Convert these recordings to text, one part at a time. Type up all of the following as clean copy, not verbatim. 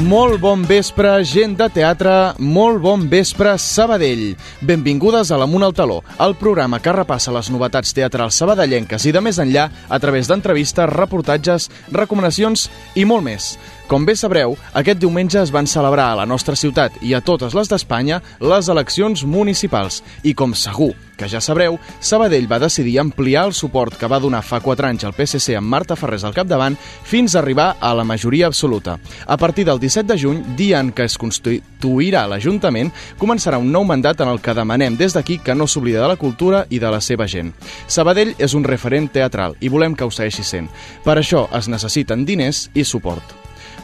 Molt bon vespre, gent de teatre, molt bon vespre, Sabadell. Benvingudes a l'Amunt al Taló, el programa que repassa les novetats teatrals sabadellenques i de més enllà a través d'entrevistes, reportatges, recomanacions i molt més. Com bé sabreu, aquest diumenge es van celebrar a la nostra ciutat i a totes les d'Espanya les eleccions municipals. I com segur que ja sabreu, Sabadell va decidir ampliar el suport que va donar fa 4 anys al PSC amb Marta Ferrés al capdavant fins a arribar a la majoria absoluta. A partir del 17 de juny, dia en què es constituirà l'Ajuntament, començarà un nou mandat en el que demanem des d'aquí que no s'oblida de la cultura i de la seva gent. Sabadell és un referent teatral i volem que ho segueixi sent. Per això es necessiten diners i suport.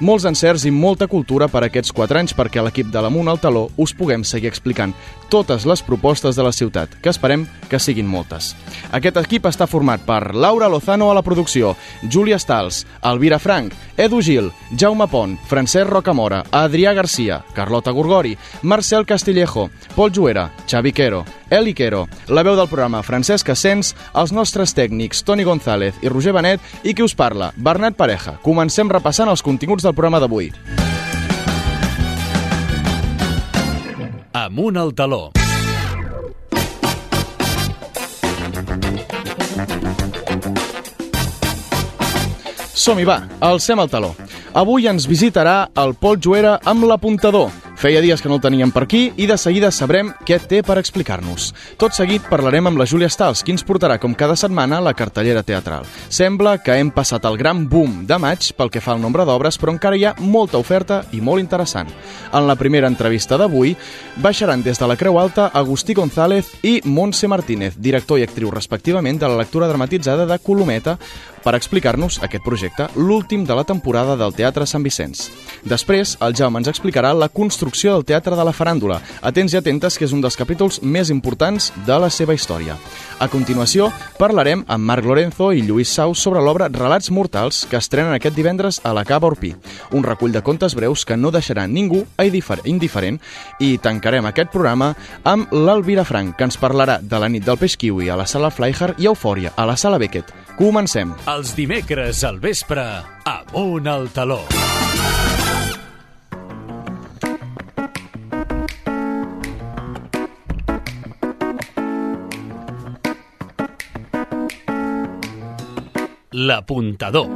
Molts encerts i molta cultura per aquests 4 anys perquè a l'equip de l'Amunt al Taló us puguem seguir explicant totes les propostes de la ciutat, que esperem que siguin moltes. Aquest equip està format per Laura Lozano a la producció, Júlia Stals, Elvira Frank, Edu Gil, Jaume Pont, Francesc Rocamora, Adrià Garcia, Carlota Gorgori, Marcel Castillejo, Pol Juera, Xavi Quero, Eli Quero, la veu del programa Francesc Ascens, els nostres tècnics Toni González i Roger Benet i qui us parla, Bernat Pareja. Comencem repassant els continguts del programa d'avui. Amunt al Taló. Som-hi, va, alcem el taló. Avui ens visitarà el Pol Juera amb l'Apuntador. Feia dies que no el teníem per aquí i de seguida sabrem què té per explicar-nos. Tot seguit parlarem amb la Júlia Stals, qui ens portarà com cada setmana la cartellera teatral. Sembla que hem passat el gran boom de maig pel que fa al nombre d'obres, però encara hi ha molta oferta i molt interessant. En la primera entrevista d'avui baixaran des de la Creu Alta Agustí González i Montse Martínez, director i actriu respectivament de la lectura dramatitzada de Colometa, per explicar-nos aquest projecte, l'últim de la temporada del Teatre Sant Vicenç. Després, el Jaume ens explicarà la construcció del Teatre de la Faràndula. Atents i atentes, que és un dels capítols més importants de la seva història. A continuació, parlarem amb Marc Lorenzo i Lluís Saus sobre l'obra Relats Mortals, que estrenen aquest divendres a la Cava Orpí. Un recull de contes breus que no deixarà ningú indiferent, i tancarem aquest programa amb l'Elvira Frank, que ens parlarà de la nit del peix kiwi a la Sala Fleischer i Eufòria a la Sala Beckett. Comencem. Els dimecres al vespre, Amunt al Taló. L'Apuntador.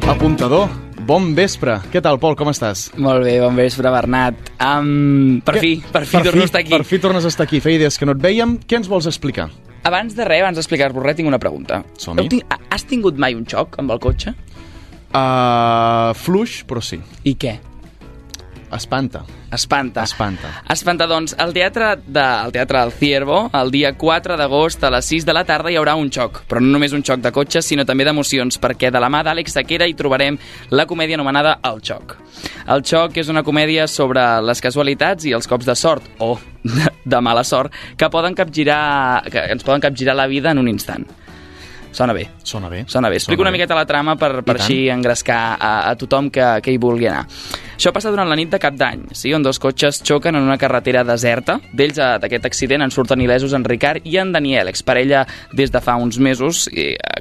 Apuntador, bon vespre. Què tal, Pol, com estàs? Molt bé, bon vespre, Bernat. Per fi torno a estar aquí. Per fi tornes a estar aquí. Feia dies que no et vèiem. Què ens vols explicar? Abans d'explicar-vos res, tinc una pregunta. Som-hi. Has tingut mai un xoc amb el cotxe? Fluix, però sí. I què? Espanta, doncs, al Teatre del Ciervo, el dia 4 d'agost a les 6 de la tarda hi haurà un xoc, però no només un xoc de cotxes, sinó també d'emocions, perquè de la mà d'Àlex Sequera hi trobarem la comèdia anomenada El Xoc. El Xoc és una comèdia sobre les casualitats i els cops de sort, o de mala sort, que ens poden capgirar la vida en un instant. Sona bé. Explico una miqueta la trama per així engrescar a tothom que hi vulgui anar. Això passa durant la nit de Cap d'Any, sí, on 2 cotxes xoquen en una carretera deserta. D'ells, d'aquest accident, en surten il·lesos en Ricard i en Daniel, exparella des de fa uns mesos,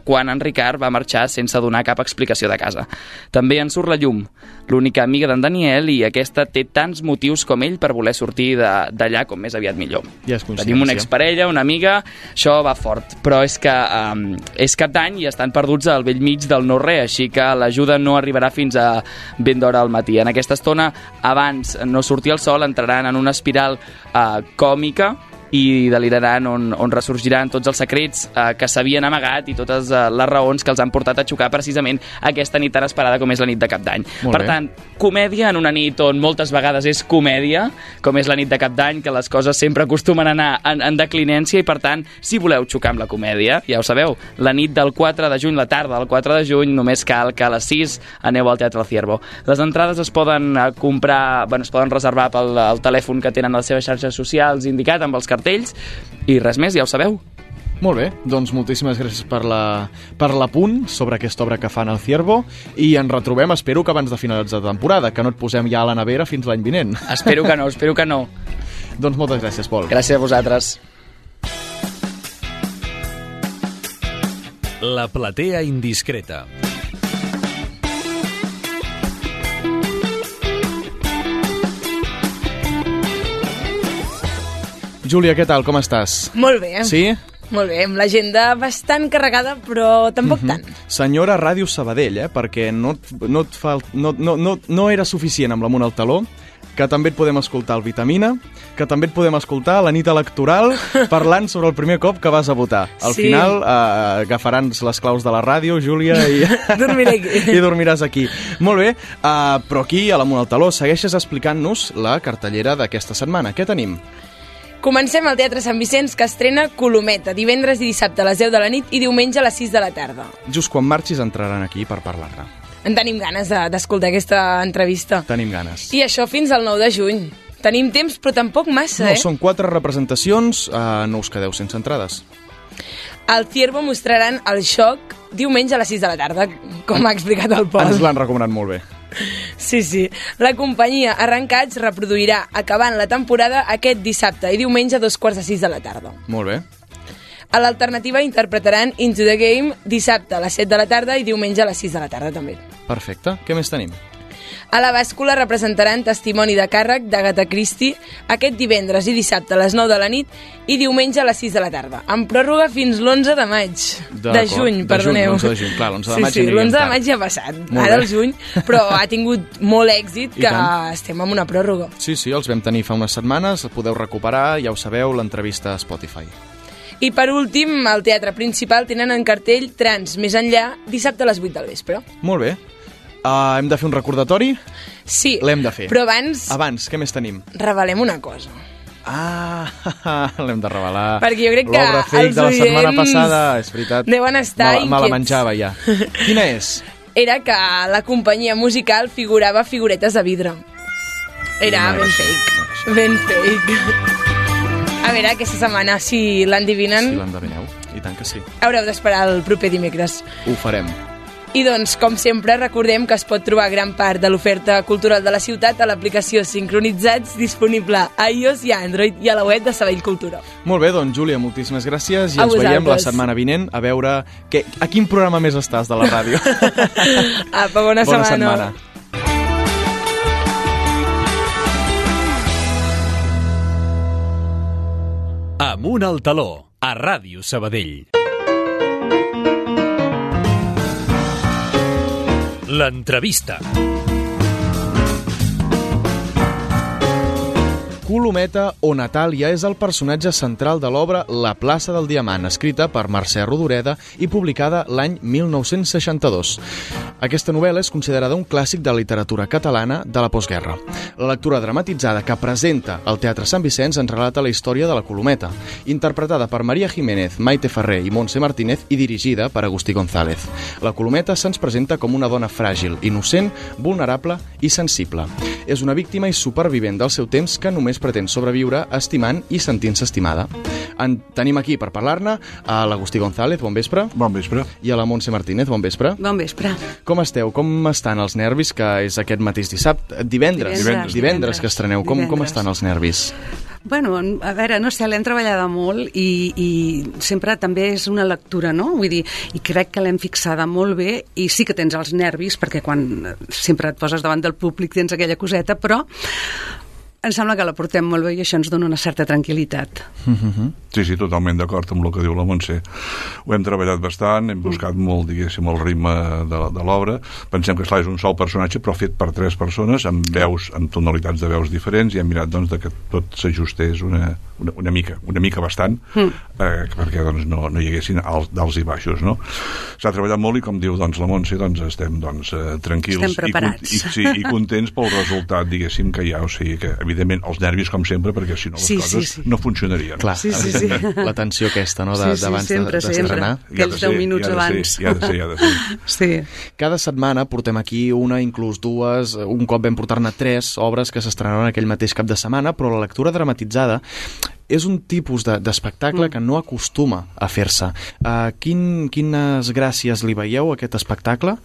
quan en Ricard va marxar sense donar cap explicació de casa. També en surt la Llum, l'única amiga d'en Daniel, i aquesta té tants motius com ell per voler sortir d'allà com més aviat millor. Ja és coincidència. Tenim una exparella, una amiga, això va fort, però és que és Cap d'Any i estan perduts al bell mig del no-res, així que l'ajuda no arribarà fins a ben d'hora al matí. En aquesta estona, abans no sortir el sol, entraran en una espiral còmica i deliraran on ressorgiran tots els secrets que s'havien amagat i totes les raons que els han portat a xocar precisament aquesta nit tan esperada com és la nit de Cap d'Any. Per tant, comèdia en una nit on moltes vegades és comèdia, com és la nit de Cap d'Any, que les coses sempre acostumen a anar en declinència, i per tant, si voleu xocar amb la comèdia, ja ho sabeu, la nit del 4 de juny, la tarda del 4 de juny, només cal que a les 6 aneu al Teatre del Ciervo. Les entrades es poden es poden reservar pel telèfon que tenen a les seves xarxes socials indicat amb els cartells, i res més, ja ho sabeu. Molt bé, doncs moltíssimes gràcies per l'apunt sobre aquesta obra que fan al Ciervo, i ens retrobem, espero que abans de finalitzar la temporada, que no et posem ja a la nevera fins l'any vinent. Espero que no. Doncs moltes gràcies, Pol. Gràcies a vosaltres. La platea indiscreta. Júlia, què tal? Com estàs? Molt bé. Sí? Molt bé, amb l'agenda bastant carregada, però tampoc tant. Senyora Ràdio Sabadell, perquè no era suficient amb l'Amunt al Taló, que també et podem escoltar al Vitamina, que també et podem escoltar a la nit electoral parlant sobre el primer cop que vas a votar. Al final agafaran les claus de la ràdio, Júlia, i dormiré aquí. I dormiràs aquí. Molt bé, però aquí a l'Amunt al Taló segueixes explicant-nos la cartellera d'aquesta setmana. Què tenim? Comencem al Teatre Sant Vicenç, que estrena Colometa, divendres i dissabte a les 10 de la nit i diumenge a les 6 de la tarda. Just quan marxis entraran aquí per parlar-ne. En tenim ganes d'escoltar aquesta entrevista. Tenim ganes. I això fins al 9 de juny. Tenim temps, però tampoc massa, No, són 4 representacions, no us quedeu sense entrades. Al Ciervo mostraran el Xoc diumenge a les 6 de la tarda, com ha explicat el Pol. Ens l'han recomanat molt bé. Sí. La companyia Arrencats reproduirà, acabant la temporada, aquest dissabte i diumenge a 5:45 de la tarda. Molt bé. A l'alternativa interpretaran Into the Game dissabte a les 7 de la tarda i diumenge a les 6 de la tarda també. Perfecte. Què més tenim? A la bàscula representaran Testimoni de càrrec d'Agatha Christie aquest divendres i dissabte a les 9 de la nit i diumenge a les 6 de la tarda, amb pròrroga fins l'11 de maig. De juny, perdoneu. L'11 de juny, clar, l'11 de maig sí, l'11 de maig ja ha passat, ara el juny, però ha tingut molt èxit que estem amb una pròrroga. Sí, els vam tenir fa unes setmanes, el podeu recuperar, ja ho sabeu, l'entrevista a Spotify. I per últim, al Teatre Principal tenen en cartell Trans Més enllà dissabte a les 8 del vespre. Molt bé. Hem de fer un recordatori? Sí, l'hem de fer. Però abans, què més tenim? Revelem una cosa. L'hem de revelar. Perquè jo crec que l'obra fake de la setmana passada, és veritat. Deuen estar inquiets. Me la menjava ja. Quina és? Era que la companyia musical figurava figuretes de vidre. Era ben fake. Ben fake. A veure, aquesta setmana, si l'endivinen... Si l'endevineu, i tant que sí. Haureu d'esperar el proper dimecres. Ho farem. I doncs, com sempre, recordem que es pot trobar gran part de l'oferta cultural de la ciutat a l'aplicació Sincronitzats, disponible a iOS i a Android i a la web de Sabadell Cultura. Molt bé, doncs, Júlia, moltíssimes gràcies i ens veiem la setmana vinent a veure a quin programa més estàs de la ràdio. Apa, bona setmana. Amunt al Taló, a Ràdio Sabadell. L'entrevista. Colometa o Natàlia és el personatge central de l'obra La plaça del Diamant, escrita per Mercè Rodoreda i publicada l'any 1962. Aquesta novel·la és considerada un clàssic de la literatura catalana de la postguerra. La lectura dramatitzada que presenta al Teatre Sant Vicenç ens relata la història de la Colometa, interpretada per Maria Jiménez, Maite Ferrer i Montse Martínez i dirigida per Agustí González. La Colometa se'ns presenta com una dona fràgil, innocent, vulnerable i sensible. És una víctima i supervivent del seu temps que només pretén sobreviure estimant i sentint-se estimada. Tenim aquí per parlar-ne a l'Agustí González, bon vespre. Bon vespre. I a la Montse Martínez, bon vespre. Bon vespre. Com esteu? Com estan els nervis, que és aquest mateix dissabte? Divendres que estreneu. Com estan els nervis? Bueno, a veure, no sé, l'hem treballada molt i sempre també és una lectura, no? Vull dir, i crec que l'hem fixada molt bé i sí que tens els nervis, perquè quan sempre et poses davant del públic tens aquella coseta, però em sembla que la portem molt bé i això ens dona una certa tranquil·litat. Sí, totalment d'acord amb el que diu la Montse. Ho hem treballat bastant, hem buscat molt, diguéssim, el ritme de l'obra. Pensem que, esclar, és un sol personatge, però fet per 3 persones, amb veus, amb tonalitats de veus diferents, i hem mirat, doncs, que tot s'ajustés una mica bastant, perquè, doncs, no hi haguessin dals i baixos, no? S'ha treballat molt i, com diu, doncs, la Montse, doncs, estem, doncs, tranquils. Estem preparats. I contents pel resultat, diguéssim, que hi ha, o sigui que, evidentment, els nervis, com sempre, perquè si no les coses no funcionarien. Clar, sí. La tensió aquesta, no?, d'abans d'estrenar. Aquells 10 minuts abans. Ja ha de ser. Sí. Cada setmana portem aquí una, inclús 2, un cop vam portar-ne 3 obres que s'estrenaran aquell mateix cap de setmana, però la lectura dramatitzada és un tipus d'espectacle que no acostuma a fer-se. Quines gràcies li veieu a aquest espectacle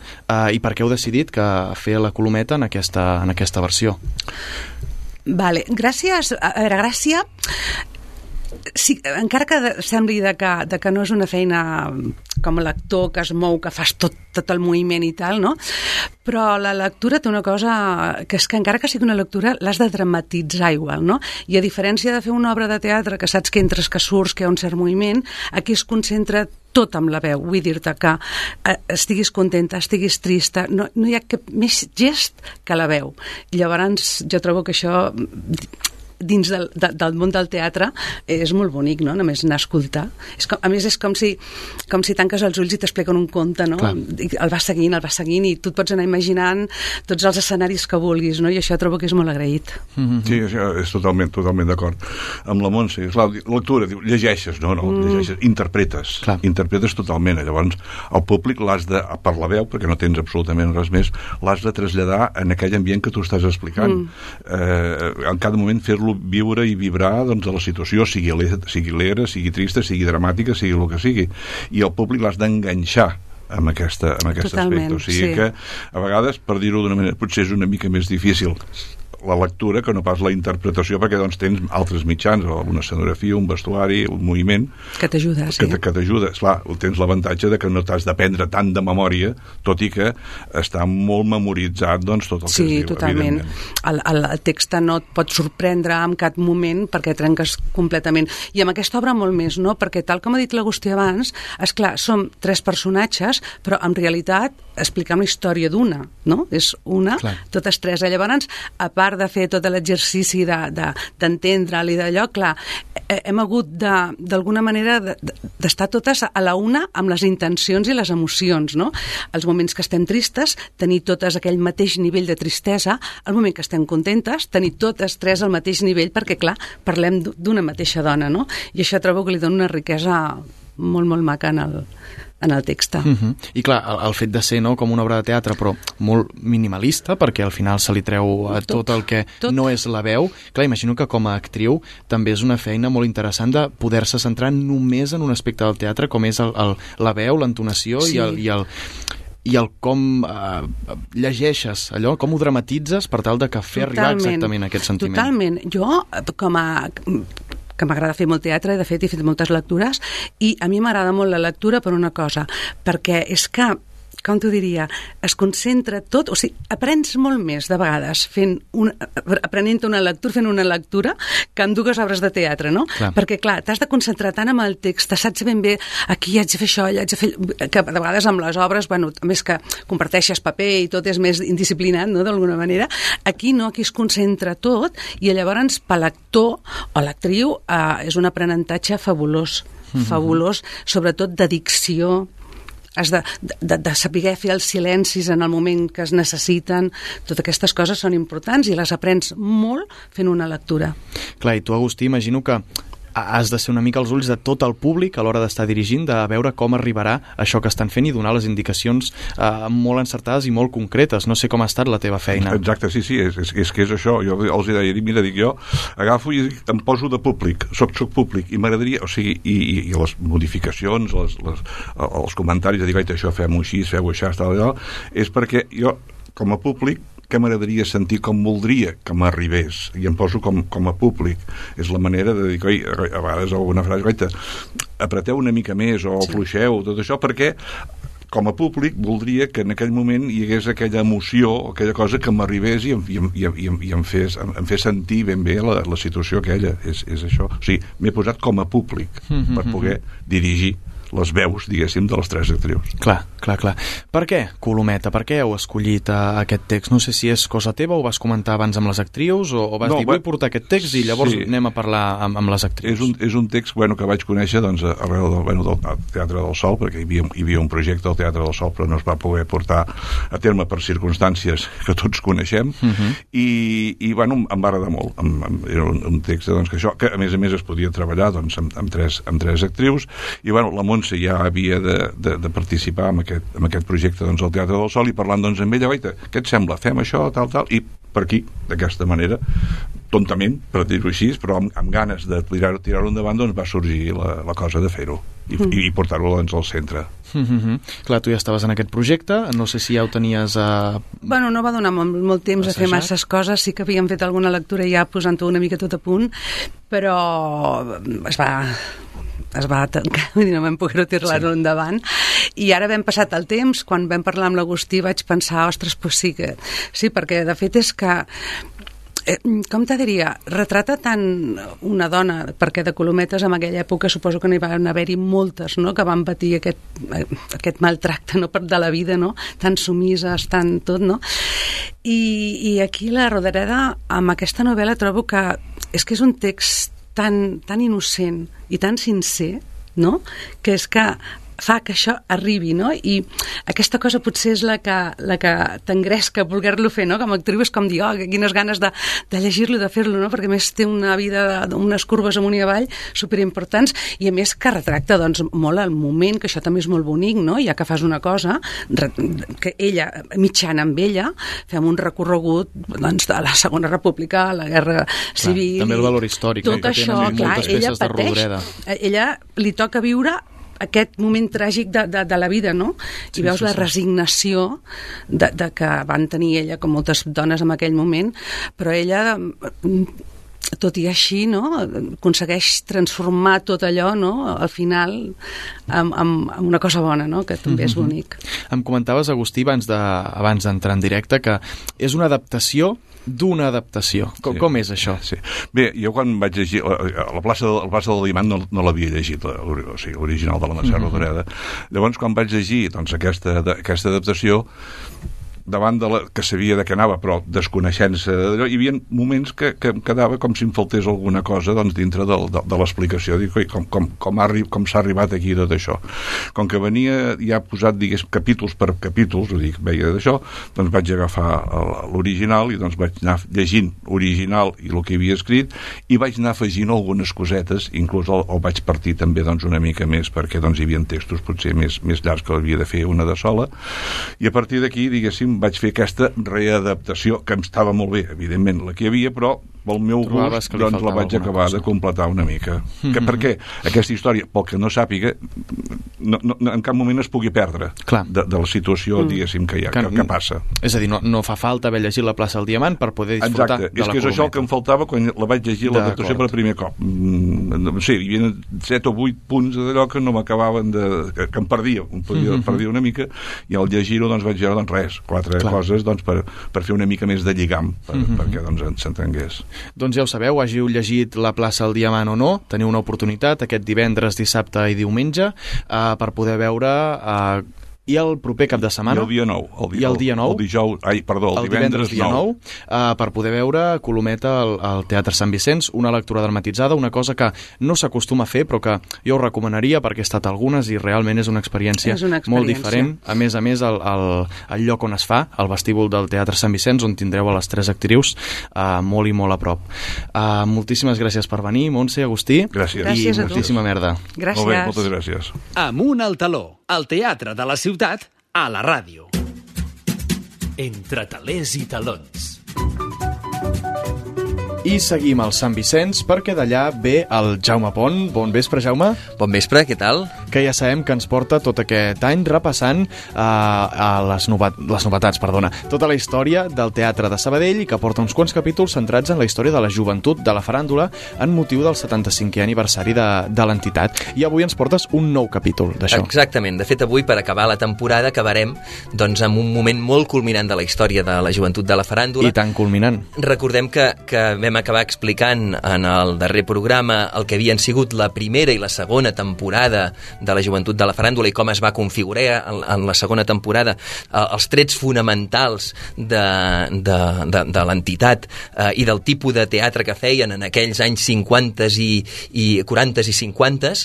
i per què heu decidit que fer la Colometa en aquesta versió? Vale, gràcies. A veure, gràcia sí, encara que sembli de que no és una feina com a lector que es mou, que fas tot el moviment i tal, no? Però la lectura té una cosa que és que encara que sigui una lectura l'has de dramatitzar igual, no? I a diferència de fer una obra de teatre que saps que entres, que surts, que hi ha un cert moviment, aquí es concentra tot amb la veu, vull dir-te que estiguis contenta, estiguis trista, no hi ha cap més gest que la veu. Llavors jo trobo que això dins del món del teatre és molt bonic, no? Només anar a escoltar. A més, és com si tanques els ulls i t'expliquen un conte, no? I el vas seguint i tu et pots anar imaginant tots els escenaris que vulguis, no? I això trobo que és molt agraït. Sí, això és totalment d'acord. Amb la Montse, és la lectura, diu, llegeixes, no? Llegeixes, interpretes totalment. Llavors, el públic l'has de, per la veu, perquè no tens absolutament res més, l'has de traslladar en aquell ambient que tu estàs explicant. En cada moment fer-lo viure i vibrar doncs, de la situació, sigui alegre, sigui trista, sigui dramàtica, sigui el que sigui. I el públic l'has d'enganxar amb aquest aspecte. O sigui que, a vegades, per dir-ho d'una manera, potser és una mica més difícil la lectura que no pas la interpretació, perquè doncs tens altres mitjans, una escenografia, un vestuari, un moviment que t'ajuda, sí. Que t'ajuda. Esclar, tens l'avantatge de que no t'has d'aprendre tant de memòria, tot i que està molt memoritzat doncs, tot el que es diu. Sí, totalment. El text no et pot sorprendre en cap moment perquè trenques completament. I amb aquesta obra molt més, no? Perquè tal com ha dit l'Agustí abans, esclar, som 3 personatges, però en realitat expliquem la història d'una, no? És una, totes 3. Llavors, a part de fer tot l'exercici d'entendre-li d'allò, clar, hem hagut d'alguna manera d'estar totes a la una amb les intencions i les emocions, no? Els moments que estem tristes, tenir totes aquell mateix nivell de tristesa, el moment que estem contentes, tenir totes 3 al mateix nivell, perquè, clar, parlem d'una mateixa dona, no? I això trobo que li dona una riquesa molt, molt maca en el text. I clar, el fet de ser com una obra de teatre, però molt minimalista, perquè al final se li treu tot el que no és la veu. Clar, imagino que com a actriu també és una feina molt interessant de poder-se centrar només en un aspecte del teatre, com és la veu, l'entonació i el com llegeixes allò, com ho dramatitzes per tal de que fer arribar exactament aquest sentiment. Totalment. Jo, que m'agrada fer molt teatre, de fet he fet moltes lectures, i a mi m'agrada molt la lectura per una cosa, perquè és que, com t'ho diria, es concentra tot, o sigui, aprens molt més de vegades aprenent una lectura que en 2 obres de teatre, no? Clar. Perquè, clar, t'has de concentrar tant amb el text, saps ben bé aquí haig de fer això, haig de fer... que de vegades amb les obres, bueno, a més que comparteixes paper i tot és més indisciplinat, no?, d'alguna manera, aquí no, aquí es concentra tot, i llavors per l'actor o l'actriu és un aprenentatge fabulós, sobretot de dicció. Has de saber fer els silencis en el moment que es necessiten. Totes aquestes coses són importants i les aprens molt fent una lectura. Clar, i tu, Agustí, imagino que has de ser una mica als ulls de tot el públic a l'hora d'estar dirigint, de veure com arribarà això que estan fent i donar les indicacions molt encertades i molt concretes. No sé com ha estat la teva feina. Exacte, sí, és que és això. Jo els deia, mira, dic jo, agafo i em poso de públic, soc públic, i m'agradaria, o sigui, i les modificacions, els comentaris de dir, això fem-ho així, feu això, tal, és perquè jo, com a públic, que m'agradaria sentir com voldria que m'arribés, i em poso com a públic. És la manera de dir, a vegades alguna frase, apreteu una mica més o fluixeu, tot això, perquè com a públic voldria que en aquell moment hi hagués aquella emoció, aquella cosa que m'arribés i em fes sentir ben bé la situació aquella. És això. O sigui, m'he posat com a públic per poder dirigir les veus, diguéssim, de les 3 actrius. Clar. Per què, Colometa? Per què heu escollit aquest text? No sé si és cosa teva, o vas comentar abans amb les actrius, o vas dir, vull portar aquest text i llavors anem a parlar amb les actrius. És un text que vaig conèixer arrel del Teatre del Sol, perquè hi havia un projecte al Teatre del Sol, però no es va poder portar a terme per circumstàncies que tots coneixem, i em va agradar molt. Era un text que a més es podia treballar amb 3 actrius, i la Montse ja havia de participar en aquest projecte al Teatre del Sol, i parlant amb ella, què et sembla? Fem això, tal, i per aquí, d'aquesta manera, tontament, per dir-ho així, però amb ganes de tirar-ho endavant, va sorgir la cosa de fer-ho. i portar-ho doncs, al centre. Clar, tu ja estaves en aquest projecte, no sé si ja ho tenies Bueno, no va donar molt temps a fer masses coses, sí que havíem fet alguna lectura ja posant-ho una mica tot a punt, però es va tancar, vull dir, no vam poder tirar-lo endavant, i ara vam passat el temps, quan vam parlar amb l'Agustí vaig pensar, ostres, pues sí, perquè de fet és que com te diria, retrata tant una dona, perquè de Colometes en aquella època suposo que n'hi van haver-hi moltes, no?, que van patir aquest maltracte, no?, de la vida, no?, tan sumises, tan tot, no? I aquí la Rodoreda, amb aquesta novel·la, trobo que és un text tan innocent i tan sincer, no?, que és que fa que això arribi, no? I aquesta cosa potser és la que t'engresca voler-lo fer, no? Com a actriu és com dir, quines ganes de llegir-lo, de fer-lo, no? Perquè a més té una vida, unes curves amunt i avall superimportants, i a més que retracta doncs molt el moment, que això també és molt bonic, no? Ja que fas una cosa, que ella, mitjana amb ella, fem un recorregut doncs, de la Segona República, la Guerra Civil... També el valor històric, tot això, clar, ella pateix. Ella li toca viure aquest moment tràgic de la vida, no? I veus la resignació de que van tenir ella, com moltes dones en aquell moment, però ella, tot i així, no?, aconsegueix transformar tot allò, no?, al final amb una cosa bona, no?, que també és bonic. Em comentaves, Agustí, abans d'entrar en directe, que és una adaptació d'una adaptació. Com és això? Sí. Bé, jo quan vaig llegir la plaça del Diamant no l'havia llegit, l'original de la Mercè Rodoreda. Llavors, quan vaig llegir doncs, aquesta adaptació, davant de que sabia de què anava, però desconeixent-se d'allò, hi havia moments que em quedava com si em faltés alguna cosa doncs, dintre de l'explicació. Dic, com s'ha arribat aquí tot això? Com que venia ja posat, digués, capítols per capítols, veia d'això, doncs vaig agafar l'original i doncs vaig anar llegint original i el que havia escrit, i vaig anar afegint algunes cosetes, inclús el vaig partir també doncs, una mica més, perquè doncs, hi havia textos potser més llargs que havia de fer una de sola, i a partir d'aquí, diguéssim, vaig fer aquesta readaptació, que em estava molt bé, evidentment, la que hi havia, però pel meu gust, doncs la vaig acabar de completar una mica. Perquè aquesta història, pel que no sàpiga, en cap moment es pugui perdre de la situació, diguéssim, que hi ha, que passa. És a dir, no fa falta haver llegit la plaça del Diamant per poder disfrutar de la Colometa. És que és això el que em faltava quan la vaig llegir l'adaptació per primer cop. No sé, hi havia 7 o 8 punts d'allò que no m'acabaven que em perdia una mica, i al llegir-ho doncs vaig veure res, 4 coses doncs, per fer una mica més de lligam, perquè doncs s'entengués. Doncs ja ho sabeu, hàgiu llegit La plaça del Diamant o no, teniu una oportunitat aquest divendres, dissabte i diumenge per poder veure i el proper cap de setmana i el dia 9 el divendres dia 9 per poder veure Colometa al Teatre Sant Vicenç, una lectura dramatitzada, una cosa que no s'acostuma a fer però que jo ho recomanaria perquè he estat algunes i realment és una experiència molt diferent. A més, el lloc on es fa, el vestíbul del Teatre Sant Vicenç, on tindreu a les 3 actrius molt i molt a prop. Moltíssimes gràcies per venir, Montse, Agustí. Gràcies. I moltíssima merda. Gràcies. Molt bé, moltes gràcies. Amunt al taló, al teatre de la ciutat, a la ràdio. Entre talers i talons. I seguim al Sant Vicenç perquè d'allà ve el Jaume Pont. Bon vespre, Jaume. Bon vespre, què tal? Que ja sabem que ens porta tot aquest any repassant les novetats, tota la història del Teatre de Sabadell i que porta uns quants capítols centrats en la història de la joventut de la faràndula en motiu del 75è aniversari de l'entitat. I avui ens portes un nou capítol d'això. Exactament. De fet, avui, per acabar la temporada, acabarem doncs, amb un moment molt culminant de la història de la joventut de la faràndula. I tan culminant. Recordem que vam acabar explicant en el darrer programa el que havien sigut la primera i la segona temporada de la joventut de la faràndula i com es va configurar en la segona temporada els trets fonamentals de l'entitat i del tipus de teatre que feien en aquells anys 50s i 40s i 50s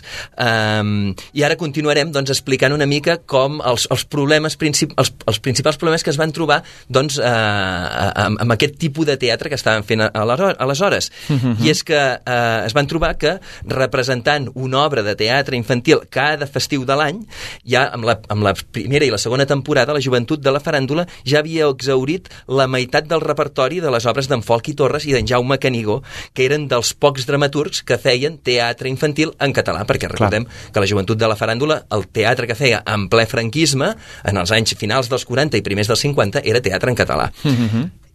i ara continuarem doncs, explicant una mica com els principals problemes que es van trobar doncs, amb aquest tipus de teatre que estaven fent aleshores. I és que es van trobar que representant una obra de teatre infantil que cada festiu de l'any, ja amb la primera i la segona temporada, la Joventut de la Faràndula ja havia exhaurit la meitat del repertori de les obres d'en Folchi Torres i d'en Jaume Canigó, que eren dels pocs dramaturgs que feien teatre infantil en català, perquè recordem que la Joventut de la Faràndula, el teatre que feia en ple franquisme, en els anys finals dels 40 i primers dels 50, era teatre en català.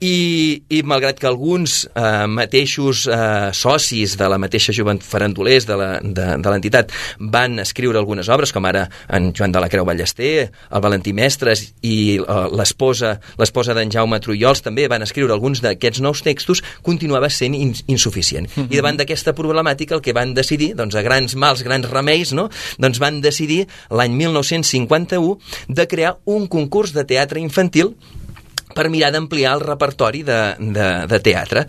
I malgrat que alguns mateixos socis de la mateixa joventut farandulers de l'entitat van escriure algunes obres, com ara en Joan de la Creu Ballester, el Valentí Mestres i l'esposa d'en Jaume Trullols també van escriure alguns d'aquests nous textos, continuava sent insuficient. I davant d'aquesta problemàtica el que van decidir, doncs a grans mals, grans remeis, no? Doncs van decidir l'any 1951 de crear un concurs de teatre infantil per mirar d'ampliar el repertori de teatre.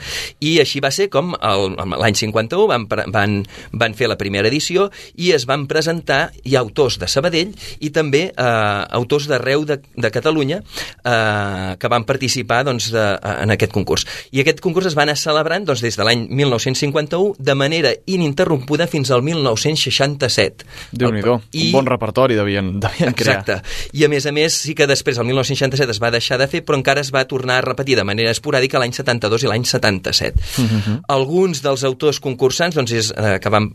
I així va ser com l'any 51 van fer la primera edició i es van presentar autors de Sabadell i també autors d'arreu de Catalunya que van participar en aquest concurs. I aquest concurs es va anar celebrant des de l'any 1951 de manera ininterrompuda fins al 1967. Déu-n'hi-do, un bon repertori devien crear. Exacte. I a més, sí que després, el 1967, es va deixar de fer, però encara es va tornar a repetir de manera esporàdica l'any 72 i l'any 77. Alguns dels autors concursants que van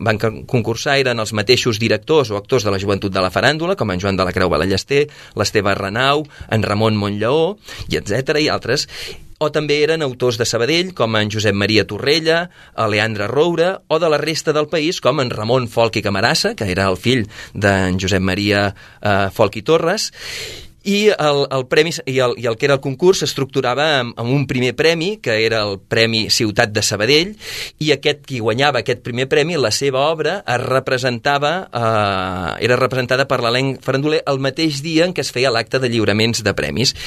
concursar eren els mateixos directors o actors de la Joventut de la Faràndula, com en Joan de la Creu Ballester, l'Esteve Renau, en Ramon Montlleó, i etc. i altres. O també eren autors de Sabadell, com en Josep Maria Torrella, el Leandre Roure, o de la resta del país, com en Ramon Folch i Camarasa, que era el fill d'en Josep Maria Folch i Torres. I el premi i el que era el concurs s'estructurava amb un primer premi, que era el Premi Ciutat de Sabadell, i qui guanyava aquest primer premi, la seva obra era representada per l'elenc faranduler el mateix dia en què es feia l'acte de lliuraments de premis.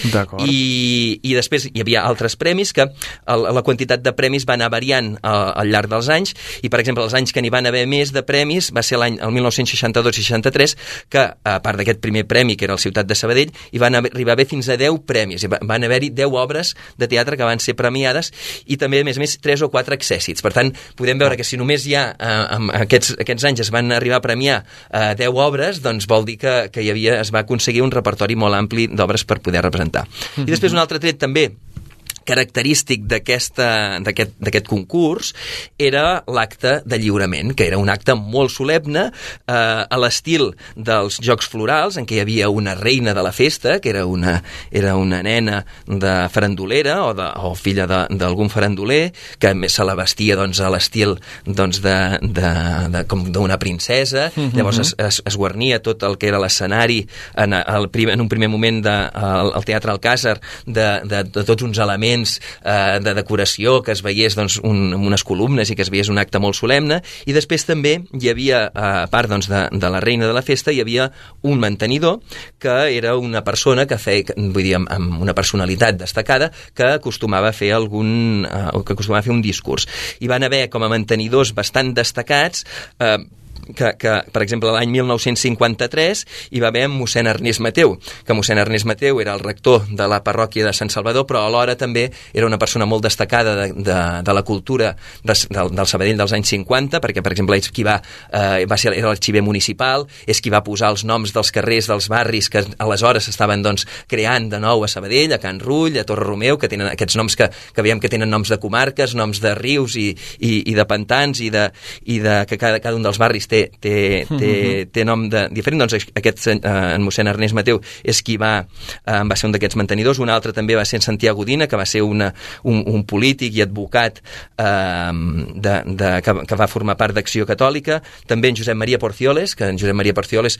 I després hi havia altres premis que la quantitat de premis va anar variant al llarg dels anys, i per exemple els anys que n'hi van haver més de premis va ser el 1962 i 63, que a part d'aquest primer premi, que era el Ciutat de Sabadell, i van arribar a haver fins a 10 premis. Van haver-hi 10 obres de teatre que van ser premiades i també, a més, 3 o 4 accèssits. Per tant, podem veure que si només ja aquests anys es van arribar a premiar 10 obres, doncs vol dir que es va aconseguir un repertori molt ampli d'obres per poder representar. I després un altre tret també característic d'aquest concurs era l'acte de lliurament, que era un acte molt solemne a l'estil dels Jocs Florals, en què hi havia una reina de la festa, que era una nena de farandulera o filla d'algun faranduler, que se la vestia a l'estil com d'una princesa. Llavors es guarnia tot el que era l'escenari en un primer moment al Teatre Alcàsser de tots uns elements de decoració, que es veiés unes columnes i que es veiés un acte molt solemne. I després també hi havia, a part de la reina de la festa, hi havia un mantenidor que era una persona que feia, vull dir, amb una personalitat destacada, que acostumava a fer un discurs. Hi van haver com a mantenidors bastant destacats que, per exemple, l'any 1953 hi va haver mossèn Ernest Mateu, que mossèn Ernest Mateu era el rector de la parròquia de Sant Salvador, però alhora també era una persona molt destacada de la cultura del Sabadell dels anys 50, perquè, per exemple, era l'arxiver municipal, és qui va posar els noms dels carrers, dels barris que aleshores estaven creant de nou a Sabadell, a Can Rull, a Torre Romeu, que tenen aquests noms que veiem que tenen noms de comarques, noms de rius i de pantans, i que cada un dels barris té nom diferent. Doncs en mossèn Ernest Mateu és qui va ser un d'aquests mantenidors. Un altre també va ser en Santiago Dina, que va ser un polític i advocat que va formar part d'Acció Catòlica. També en Josep Maria Porcioles, que en Josep Maria Porcioles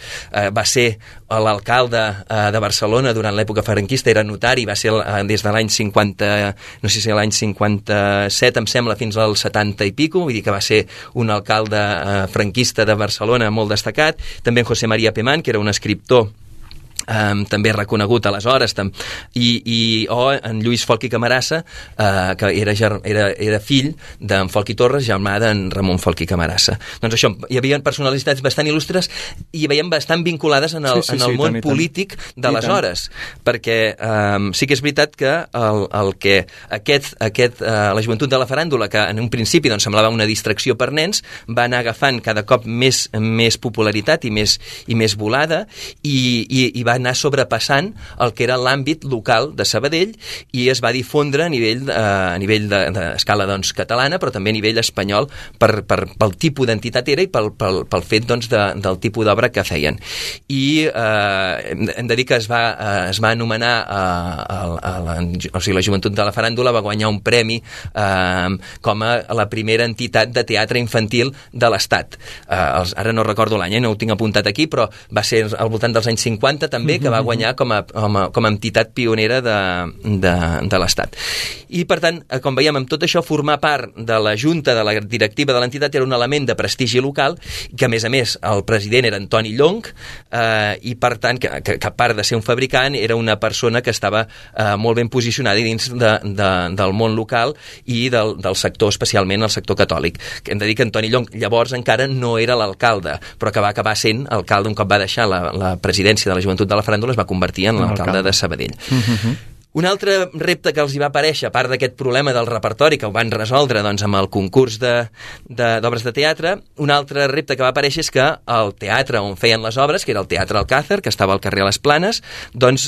va ser l'alcalde de Barcelona durant l'època franquista, era notari, va ser des de l'any 50, no sé si l'any 57 em sembla, fins al 70 i pico, vull dir que va ser un alcalde franquista de Barcelona molt destacat. També en José María Pemán, que era un escriptor també reconegut aleshores, o en Lluís Folch i Camarasa, que era fill d'en Folch i Torres, germà d'en Ramon Folch i Camarasa. Doncs això, hi havia personalitats bastant il·lustres i veiem bastant vinculades en el món polític d'aleshores, perquè sí que és veritat que la joventut de la faràndula, que en un principi doncs, semblava una distracció per nens, va anar agafant cada cop més popularitat i més volada, i va anar sobrepassant el que era l'àmbit local de Sabadell i es va difondre a nivell d'escala doncs, catalana, però també a nivell espanyol pel tipus d'entitat era i pel fet doncs, del tipus d'obra que feien. I hem de dir que es va anomenar la joventut de la faràndula va guanyar un premi com a la primera entitat de teatre infantil de l'Estat. Ara no recordo l'any, no ho tinc apuntat aquí, però va ser al voltant dels anys 50 també, que va guanyar com a entitat pionera de l'Estat. I, per tant, com veiem, amb tot això, formar part de la junta, de la directiva de l'entitat, era un element de prestigi local, que, a més, el president era Antoni Llonch, i, per tant, que a part de ser un fabricant, era una persona que estava molt ben posicionada dins del món local i del sector, especialment el sector catòlic. Hem de dir que Antoni Llonch llavors encara no era l'alcalde, però que va acabar sent alcalde un cop va deixar la presidència de la joventut de la faràndula, es va convertir en l'alcalde de Sabadell. Un altre repte que els hi va aparèixer, a part d'aquest problema del repertori, que ho van resoldre doncs, amb el concurs d'obres de teatre, un altre repte que va aparèixer és que el teatre on feien les obres, que era el Teatre Alcázar, que estava al carrer Les Planes, doncs,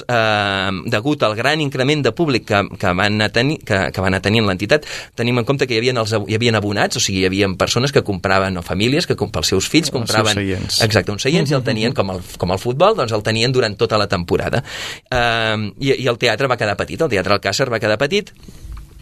degut al gran increment de públic que van anar tenint l'entitat, tenim en compte que hi havia abonats, o sigui, hi havia persones que compraven, o famílies que pels seus fills compraven uns seients, i el tenien com el futbol, doncs el tenien durant tota la temporada. I el teatre va quedar petit, el Teatre Alcázar va quedar petit.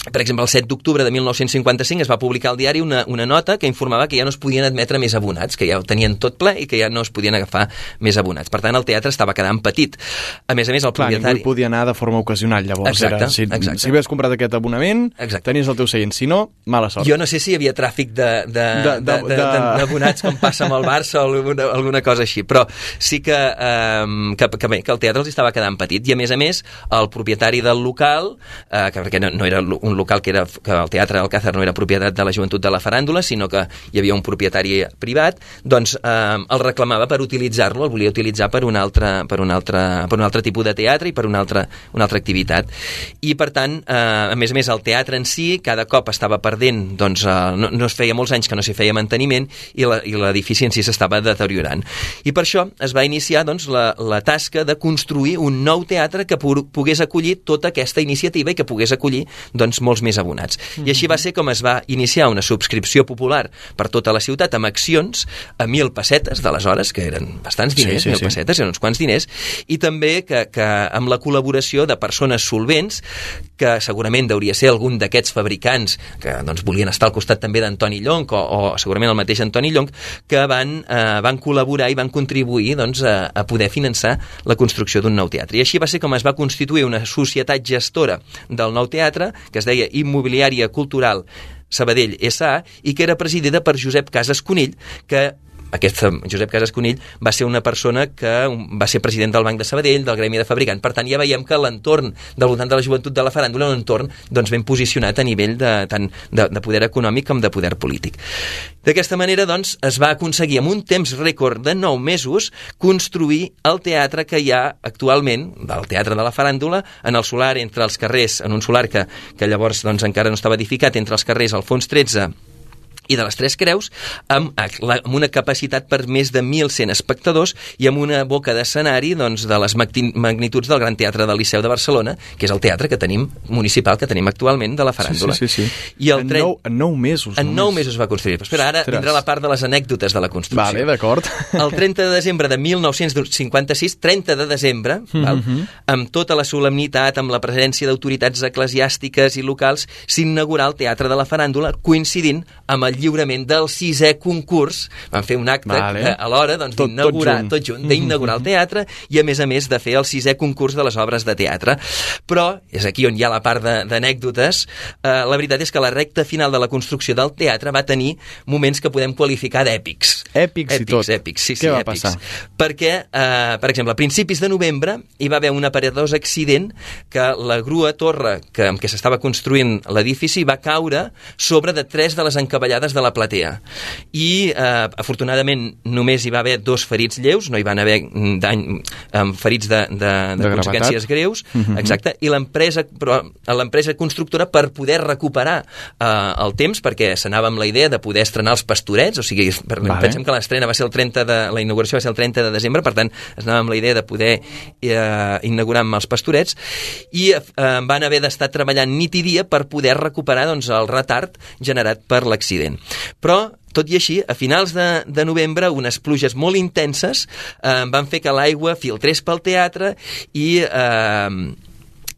Per exemple, el 7 d'octubre de 1955 es va publicar al diari una nota que informava que ja no es podien admetre més abonats, que ja ho tenien tot ple i que ja no es podien agafar més abonats. Per tant, el teatre estava quedant petit. A més, el propietari... Ningú podia anar de forma ocasional, llavors. Exacte. Si havies comprat aquest abonament, tenies el teu seient. Si no, mala sort. Jo no sé si hi havia tràfic d'abonats com passa amb el Barça o alguna cosa així, però sí que el teatre els estava quedant petit. I, a més, el propietari del local, perquè no era un local que el Teatre Alcázar no era propietat de la joventut de la faràndula, sinó que hi havia un propietari privat, doncs el reclamava per utilitzar-lo, el volia utilitzar per un altre tipus de teatre i per una altra activitat. I, per tant, a més, el teatre en si cada cop estava perdent, doncs no es feia molts anys que no s'hi feia manteniment i l'edifici en si s'estava deteriorant. I per això es va iniciar doncs, la tasca de construir un nou teatre que pogués acollir tota aquesta iniciativa i que pogués acollir doncs, molts més abonats. I així va ser com es va iniciar una subscripció popular per tota la ciutat amb accions a 1.000 pessetes d'aleshores, que eren bastants diners, 1.000 pessetes, eren uns quants diners, i també que amb la col·laboració de persones solvents, que segurament hauria ser algun d'aquests fabricants que doncs, volien estar al costat també d'Antoni Llonch o segurament el mateix Antoni Llonch, que van col·laborar i van contribuir doncs, a poder finançar la construcció d'un nou teatre. I així va ser com es va constituir una societat gestora del nou teatre, que es deia Immobiliària Cultural Sabadell S.A. i que era presidida per Josep Casas Conill, que aquest Josep Casas Conill va ser una persona que va ser president del Banc de Sabadell, del Gremi de Fabricant. Per tant, ja veiem que l'entorn del voltant de la joventut de la faràndula és un entorn doncs, ben posicionat a nivell tant de poder econòmic com de poder polític. D'aquesta manera, doncs, es va aconseguir amb un temps rècord de 9 mesos construir el teatre que hi ha actualment, el Teatre de la Faràndula, en el solar entre els carrers, en un solar que llavors doncs, encara no estava edificat, entre els carrers Alfons XIII i de les Tres Creus, amb una capacitat per més de 1.100 espectadors i amb una boca d'escenari doncs, de les magnituds del Gran Teatre del Liceu de Barcelona, que és el teatre que tenim municipal que tenim actualment de la faràndula. Sí. I en 9 mesos. En 9 mesos va construir. Però espera, ara vindrà la part de les anècdotes de la construcció. Vale, d'acord. El 30 de desembre de 1956, 30 de desembre, amb tota la solemnitat, amb la presència d'autoritats eclesiàstiques i locals, s'inaugurà el Teatre de la Faràndula, coincidint amb el el lliurament del 6è concurs. Van fer un acte alhora d'inaugurar tot junt, d'inaugurar el teatre i a més de fer el 6è concurs de les obres de teatre. Però, és aquí on hi ha la part d'anècdotes, la veritat és que la recta final de la construcció del teatre va tenir moments que podem qualificar d'èpics. Èpics i tot. Èpics, sí, Què va èpics. passar? Perquè, per exemple, a principis de novembre hi va haver un aparatós accident que la grua torre amb què s'estava construint l'edifici va caure sobre de 3 de les encavallades de la platea. I, afortunadament, només hi va haver 2 ferits lleus, no hi van haver ferits de conseqüències greus, exacte, i l'empresa constructora, per poder recuperar el temps, perquè s'anava amb la idea de poder estrenar els Pastorets, o sigui, pensem que l'estrena va ser la inauguració va ser el 30 de desembre, per tant, es anava amb la idea de poder inaugurar amb els Pastorets, i van haver d'estar treballant nit i dia per poder recuperar el retard generat per l'accident. Però, tot i així, a finals de novembre, unes pluges molt intenses van fer que l'aigua filtrés pel teatre i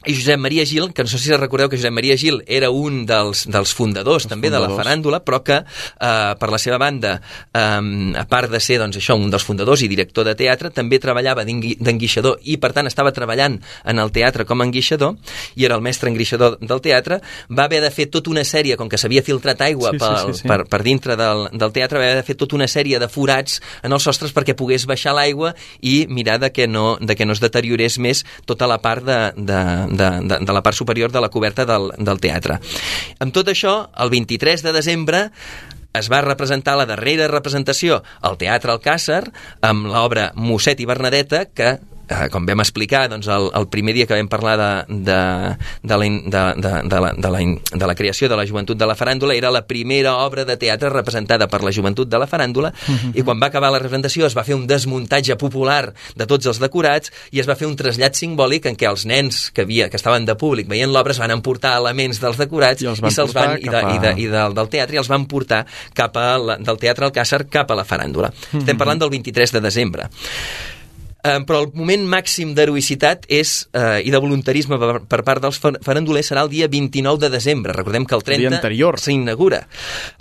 Josep Maria Gil, que no sé si recordeu que Josep Maria Gil era un dels fundadors també de la faràndula, però que per la seva banda, a part de ser un dels fundadors i director de teatre, també treballava d'enguixador i per tant estava treballant en el teatre com a enguixador i era el mestre enguixador del teatre. Va haver de fer tota una sèrie, com que s'havia filtrat aigua per dintre del teatre, va haver de fer tota una sèrie de forats en els sostres perquè pogués baixar l'aigua i mirar de que no es deteriorés més tota la part de la part superior de la coberta del teatre. Amb tot això, el 23 de desembre es va representar la darrera representació al Teatre Alcàsser amb l'obra Mosset i Bernadeta, que com vam explicar el primer dia que vam parlar de la creació de la Joventut de la Faràndula, era la primera obra de teatre representada per la Joventut de la Faràndula, i quan va acabar la representació es va fer un desmuntatge popular de tots els decorats i es va fer un trasllat simbòlic en què els nens que estaven de públic veient l'obra es van emportar elements dels decorats del teatre i els van portar del Teatre Alcàsser cap a la Faràndula. Estem parlant del 23 de desembre. Però el moment màxim d'heroïcitat i de voluntarisme per part dels farandolers serà el dia 29 de desembre. Recordem que el 30 s'inaugura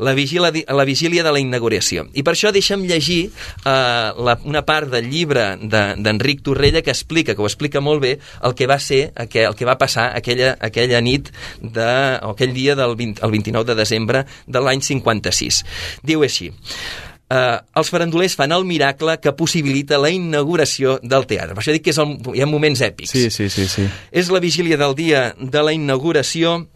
la vigília de la inauguració. I per això deixa'm llegir una part del llibre d'Enric Torrella que ho explica molt bé el que va ser, el que va passar aquella nit o aquell dia el 29 de desembre de l'any 56. Diu així: els farandolers fan el miracle que possibilita la inauguració del teatre. Per això dic que hi ha moments èpics. Sí. És la vigília del dia de la inauguració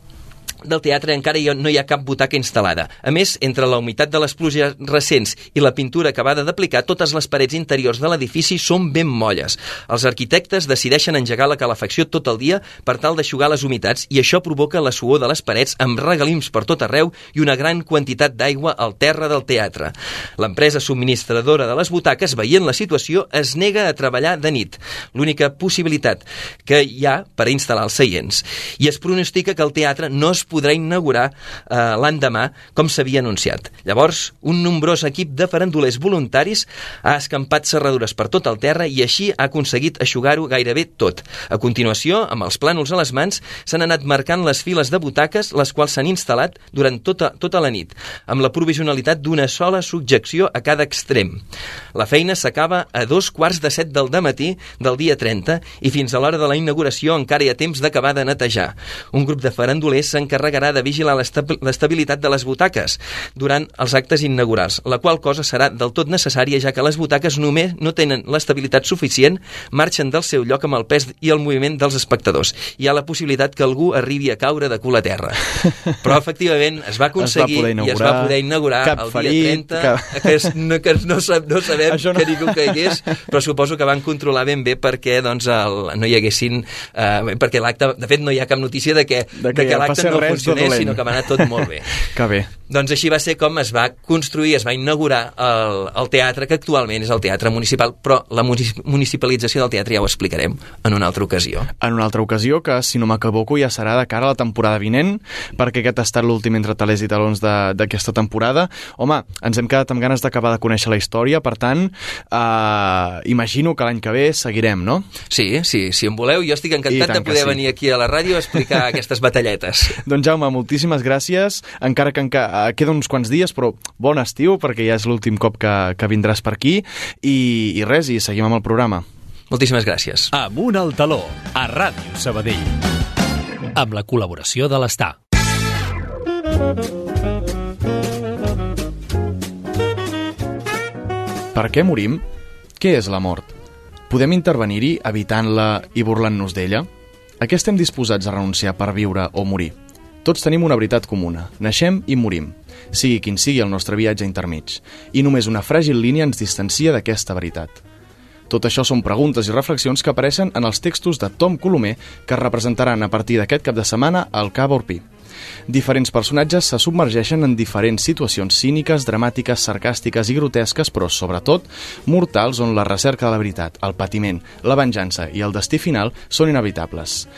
del teatre, encara no hi ha cap butaca instal·lada. A més, entre la humitat de les pluges recents i la pintura acabada d'aplicar, totes les parets interiors de l'edifici són ben molles. Els arquitectes decideixen engegar la calefacció tot el dia per tal d'eixugar les humitats i això provoca la suor de les parets amb regalims per tot arreu i una gran quantitat d'aigua al terra del teatre. L'empresa subministradora de les butaques, veient la situació, es nega a treballar de nit, l'única possibilitat que hi ha per instal·lar els seients. I es pronostica que el teatre no es podrà inaugurar l'endemà com s'havia anunciat. Llavors, un nombrós equip de farandolers voluntaris ha escampat serradures per tot el terra i així ha aconseguit eixugar-ho gairebé tot. A continuació, amb els plànols a les mans, s'han anat marcant les files de butaques, les quals s'han instal·lat durant tota la nit, amb la provisionalitat d'una sola subjecció a cada extrem. La feina s'acaba a 2:15 del dematí del dia 30 i fins a l'hora de la inauguració encara hi ha temps d'acabar de netejar. Un grup de farandolers s'encarregarà de vigilar l'estabilitat de les butaques durant els actes inaugurals, la qual cosa serà del tot necessària, ja que les butaques només no tenen l'estabilitat suficient, marxen del seu lloc amb el pes i el moviment dels espectadors. Hi ha la possibilitat que algú arribi a caure de cul a terra. Però, efectivament, es va aconseguir i es va poder inaugurar el dia 30, que no sabem que ningú caigués, però suposo que van controlar ben bé perquè no hi haguessin... perquè l'acte... De fet, no hi ha cap notícia de que l'acte no funcionés, sinó que va anar tot molt bé. Que bé. Doncs així va ser com es va construir, es va inaugurar el teatre, que actualment és el Teatre Municipal, però la municipalització del teatre ja ho explicarem en una altra ocasió. En una altra ocasió, que si no m'equivoco ja serà de cara a la temporada vinent, perquè aquest ha estat l'últim Entre Talers i Talons d'aquesta temporada. Home, ens hem quedat amb ganes d'acabar de conèixer la història, per tant, imagino que l'any que ve seguirem, no? Sí, si em voleu, jo estic encantat de poder venir aquí a la ràdio a explicar aquestes batalletes. Doncs Jaume, moltíssimes gràcies, encara que queda uns quants dies, però bon estiu, perquè ja és l'últim cop que vindràs per aquí, i res, i seguim amb el programa. Moltíssimes gràcies. Amunt al taló, a Ràdio Sabadell, amb la col·laboració de l'Estar. Per què morim? Què és la mort? Podem intervenir-hi evitant-la i burlant-nos d'ella? A què estem disposats a renunciar per viure o morir? Tots tenim una veritat comuna. Naixem i morim, sigui quin sigui el nostre viatge intermig, i només una fràgil línia ens distancia d'aquesta veritat. Tot això són preguntes i reflexions que apareixen en els textos de Tom Colomer que es representaran a partir d'aquest cap de setmana al Cava Orpí. Diferents personatges se submergeixen en diferents situacions cíniques, dramàtiques, sarcàstiques i grotesques, però sobretot mortals, on la recerca de la veritat, el patiment, la venjança i el destí final són inevitables.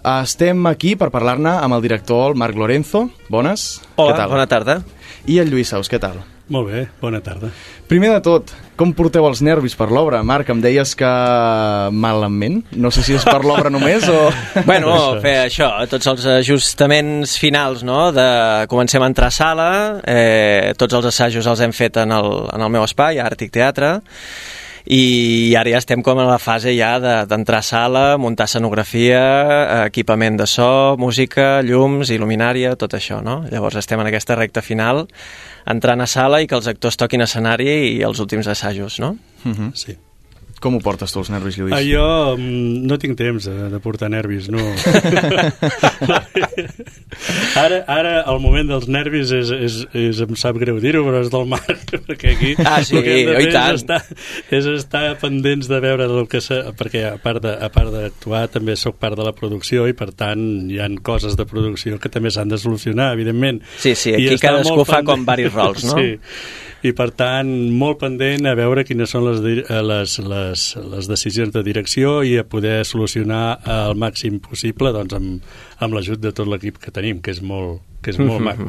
Estem aquí per parlar-ne amb el director, el Marc Lorenzo. Bones. Hola, què tal? bona tarda. I el Lluís Saus, què tal? Molt bé, bona tarda. Primer de tot, com porteu els nervis per l'obra? Marc, em deies que malament? No sé si és per l'obra només o... Bueno, fer això, tots els ajustaments finals, no? Comencem a entrar a sala, tots els assajos els hem fet en el meu espai, a Àrtic Teatre, i ara ja estem com en la fase ja d'entrar a sala, muntar escenografia, equipament de so, música, llums, il·luminària, tot això, no? Llavors estem en aquesta recta final, entrant a sala i que els actors toquin escenari i els últims assajos, no? Sí. Com ho portes tu, els nervis, Lluís? Jo no tinc temps de portar nervis, no. Ara el moment dels nervis em sap greu dir-ho, però és del Marc, perquè aquí sí, el que hem de fer tant. és estar pendents de veure el que perquè a part d'actuar també sóc part de la producció i per tant hi han coses de producció que també s'han de solucionar, evidentment. Sí, aquí cadascú fa com varis rols, no? Sí. I per tant, molt pendent a veure quines són les decisions de direcció i a poder solucionar al màxim possible doncs, amb l'ajut de tot l'equip que tenim, que és molt maco.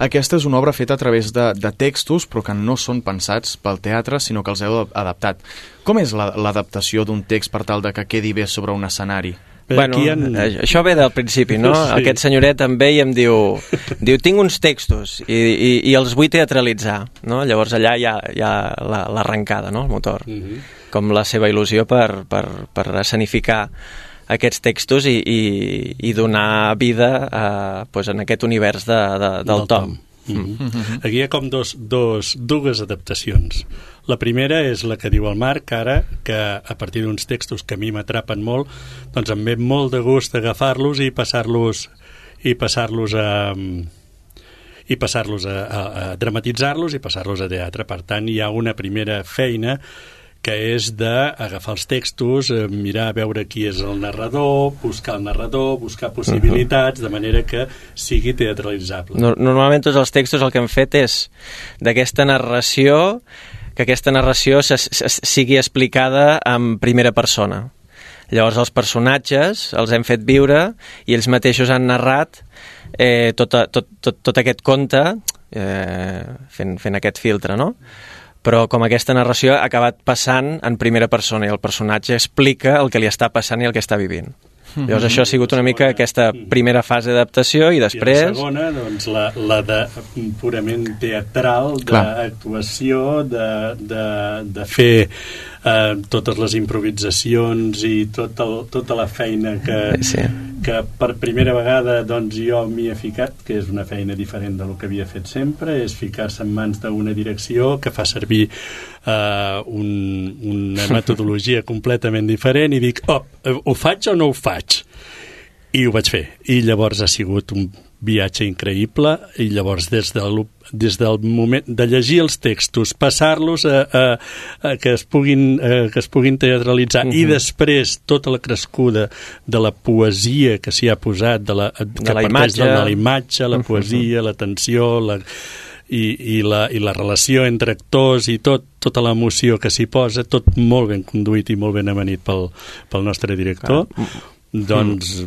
Aquesta és una obra feta a través de textos, però que no són pensats pel teatre, sinó que els heu adaptat. Com és l'adaptació d'un text per tal de que quedi bé sobre un escenari? Bueno, això ve del principi, no? Sí. Aquest senyoret em ve i em diu tinc uns textos i els vull teatralitzar, no? Llavors allà hi ha l'arrencada, no? El motor, com la seva il·lusió per escenificar aquests textos i donar vida en aquest univers del Tom. Aquí hi ha com dues adaptacions. La primera és la que diu el Marc ara, que a partir d'uns textos que a mi m'atrapen molt, doncs em ve molt de gust agafar-los i passar-los a dramatitzar-los i passar-los a teatre. Per tant, hi ha una primera feina que és d'agafar els textos, mirar a veure qui és el narrador, buscar el narrador, buscar possibilitats, de manera que sigui teatralitzable. Normalment tots els textos el que hem fet és d'aquesta narració, que aquesta narració sigui explicada en primera persona. Llavors els personatges els hem fet viure i ells mateixos han narrat tot aquest conte fent aquest filtre, no? Però com aquesta narració ha acabat passant en primera persona i el personatge explica el que li està passant i el que està vivint. Llavors això ha sigut una mica aquesta primera fase d'adaptació i després... I la segona, doncs, la de purament teatral, d'actuació, de fer totes les improvisacions i tota la feina que per primera vegada doncs, jo m'hi he ficat, que és una feina diferent del que havia fet sempre, és ficar-se en mans d'una direcció que fa servir una metodologia completament diferent i dic, ho faig o no ho faig? I ho vaig fer. I llavors ha sigut un viatge increïble i llavors des del moment de llegir els textos, passar-los que es puguin teatralitzar i després tota la crescuda de la poesia que s'hi ha posat, de la imatge, la poesia, la tensió, i la relació entre actors i tota l'emoció que s'hi posa, tot molt ben conduït i molt ben amanit pel nostre director. Doncs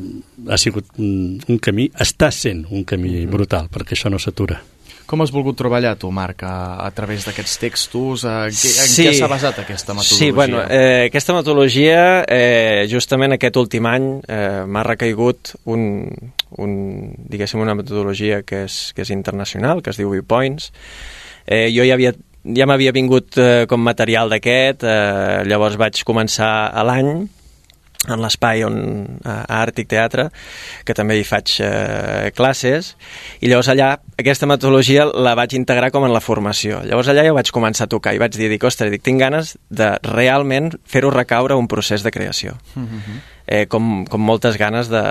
ha sigut un camí, està sent un camí brutal, perquè això no s'atura. Com has volgut treballar tu, Marc, a través d'aquests textos? En què s'ha basat aquesta metodologia? Sí, bueno, aquesta metodologia, justament aquest últim any, m'ha recaigut diguéssim, una metodologia que és internacional, que es diu Viewpoints. Jo ja m'havia vingut com material d'aquest, llavors vaig començar a l'any en l'espai a Àrtic Teatre, que també hi faig classes, i llavors allà aquesta metodologia la vaig integrar com en la formació. Llavors allà ja vaig començar a tocar i vaig dir, tinc ganes de realment fer-ho recaure un procés de creació. Com moltes ganes de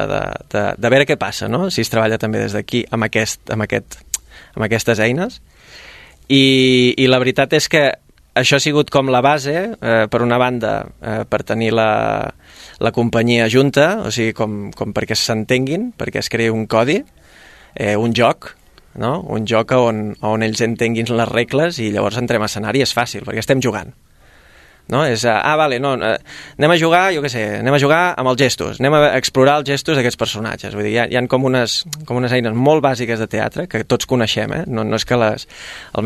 veure què passa, no? Si es treballa també des d'aquí amb aquestes eines. I la veritat és que això ha sigut com la base, per una banda, per tenir la companyia junta, o sigui, com perquè s'entenguin, perquè es creï un codi, un joc, no? Un joc on ells entenguin les regles i llavors entrem a escenari, és fàcil, perquè estem jugant. No? És, anem a jugar, jo què sé, anem a jugar amb els gestos, anem a explorar els gestos d'aquests personatges. Vull dir, hi ha com unes eines molt bàsiques de teatre que tots coneixem, no és que el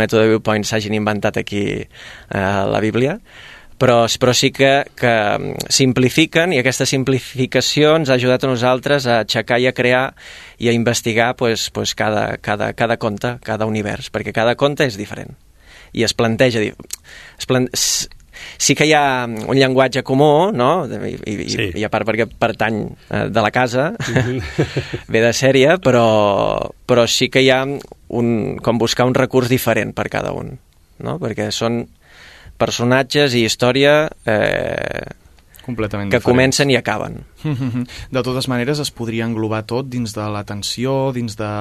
mètode Viewpoint s'hagin inventat aquí a la Bíblia, però sí que simplifiquen, i aquesta simplificació ens ha ajudat a nosaltres a aixecar i a crear i a investigar cada conte, cada univers, perquè cada conte és diferent i es planteja sí que hi ha un llenguatge comú, no? I a part perquè pertany de la casa, ve de sèrie, però sí que hi ha com buscar un recurs diferent per cada un, no? Perquè són personatges i història completament que diferents. Comencen i acaben. De totes maneres, es podria englobar tot dins de la tensió, dins de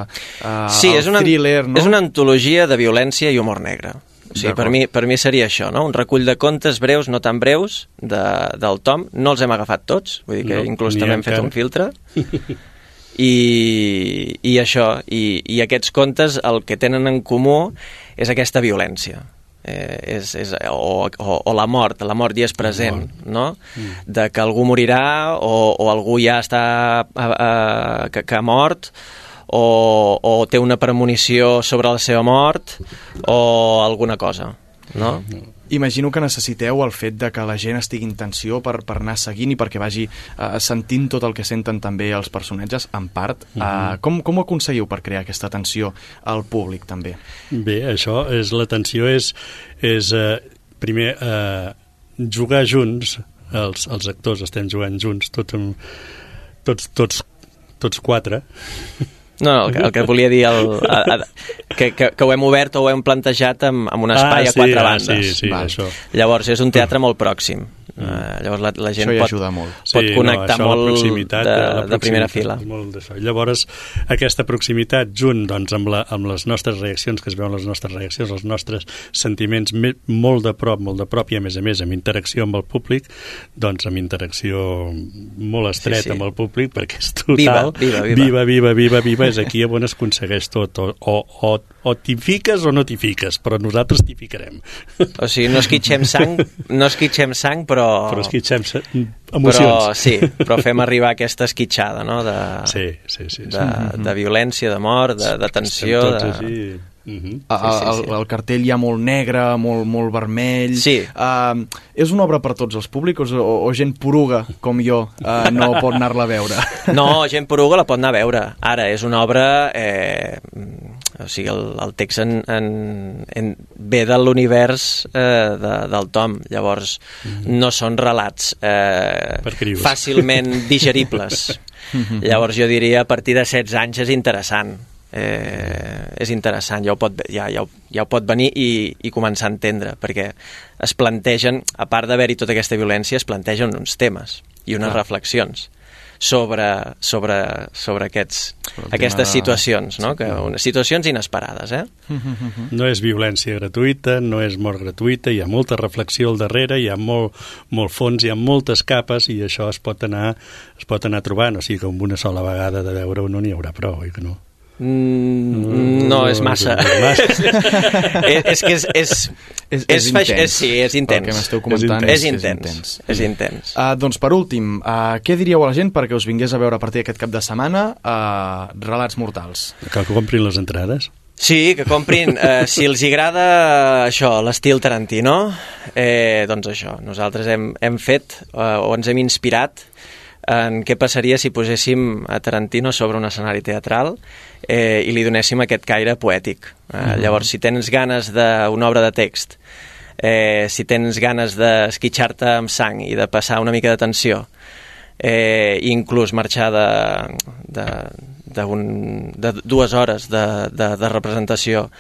sí, el thriller, no? És una antologia de violència i humor negre. O sigui, per mi seria això, no? Un recull de contes breus, no tan breus, del Tom. No els hem agafat tots, vull dir que inclús també hem fet un filtre. I això, i aquests contes el que tenen en comú és aquesta violència. O la mort ja és present, no? De que algú morirà o algú ja està que ha mort, o té una premonició sobre la seva mort o alguna cosa, no? Imagino que necessiteu el fet de que la gent estigui en tensió per anar seguint i perquè vagi sentint tot el que senten també els personatges, en part. Com ho aconseguiu per crear aquesta tensió al públic, també? Bé, això és la tensió és primer jugar junts, els actors estem jugant junts, tots quatre. No, el que volia dir que ho hem obert o ho hem plantejat amb un espai a quatre bandes. Sí, això. Llavors és un teatre molt pròxim. Llavors la gent pot connectar molt de primera fila. Llavors aquesta proximitat junt amb les nostres reaccions, que es veuen les nostres reaccions, els nostres sentiments molt de prop i a més amb interacció amb el públic, doncs amb interacció molt estreta amb el públic, perquè és total viva, és aquí on es aconsegueix tot, o t'hi fiques o no t'hi fiques, però nosaltres t'hi ficarem. O sigui, no esquitxem sang, però esquitxem emocions. Però fem arribar aquesta esquitxada, no? De violència, de mort, de tensió. El cartell hi ha molt negre, molt vermell. És una obra per tots els públics o gent poruga com jo no pot anar-la a veure? No, gent poruga la pot anar a veure. Ara, és una obra... O sigui, el text ve de l'univers del Tom. Llavors, no són relats fàcilment digeribles. Llavors, jo diria, a partir de 16 anys és interessant. És interessant, ja ho pot venir i començar a entendre, perquè es plantegen, a part d'haver-hi tota aquesta violència, es plantegen uns temes i unes reflexions sobre aquestes situacions, no? Situacions inesperades, No és violència gratuïta, no és mort gratuïta, hi ha molta reflexió al darrere, hi ha molt fons, hi ha moltes capes, i això es pot anar trobant, o sigui que amb una sola vegada de veure-ho no n'hi haurà prou, oi que no? No, és massa. És que és intens. Sí, és intens. El que m'esteu comentant és intens. Doncs per últim, què diríeu a la gent perquè us vingués a veure a partir d'aquest cap de setmana Relats Mortals? Cal que comprin les entrades? Sí, que comprin. Si els agrada això, l'estil Tarantino, doncs això, nosaltres hem fet o ens hem inspirat en què passaria si poséssim a Tarantino sobre un escenari teatral i li donéssim aquest caire poètic. Llavors, si tens ganes d'una obra de text, si tens ganes d'esquitxar-te amb sang i de passar una mica de tensió, inclús marxar de 2 hores de representació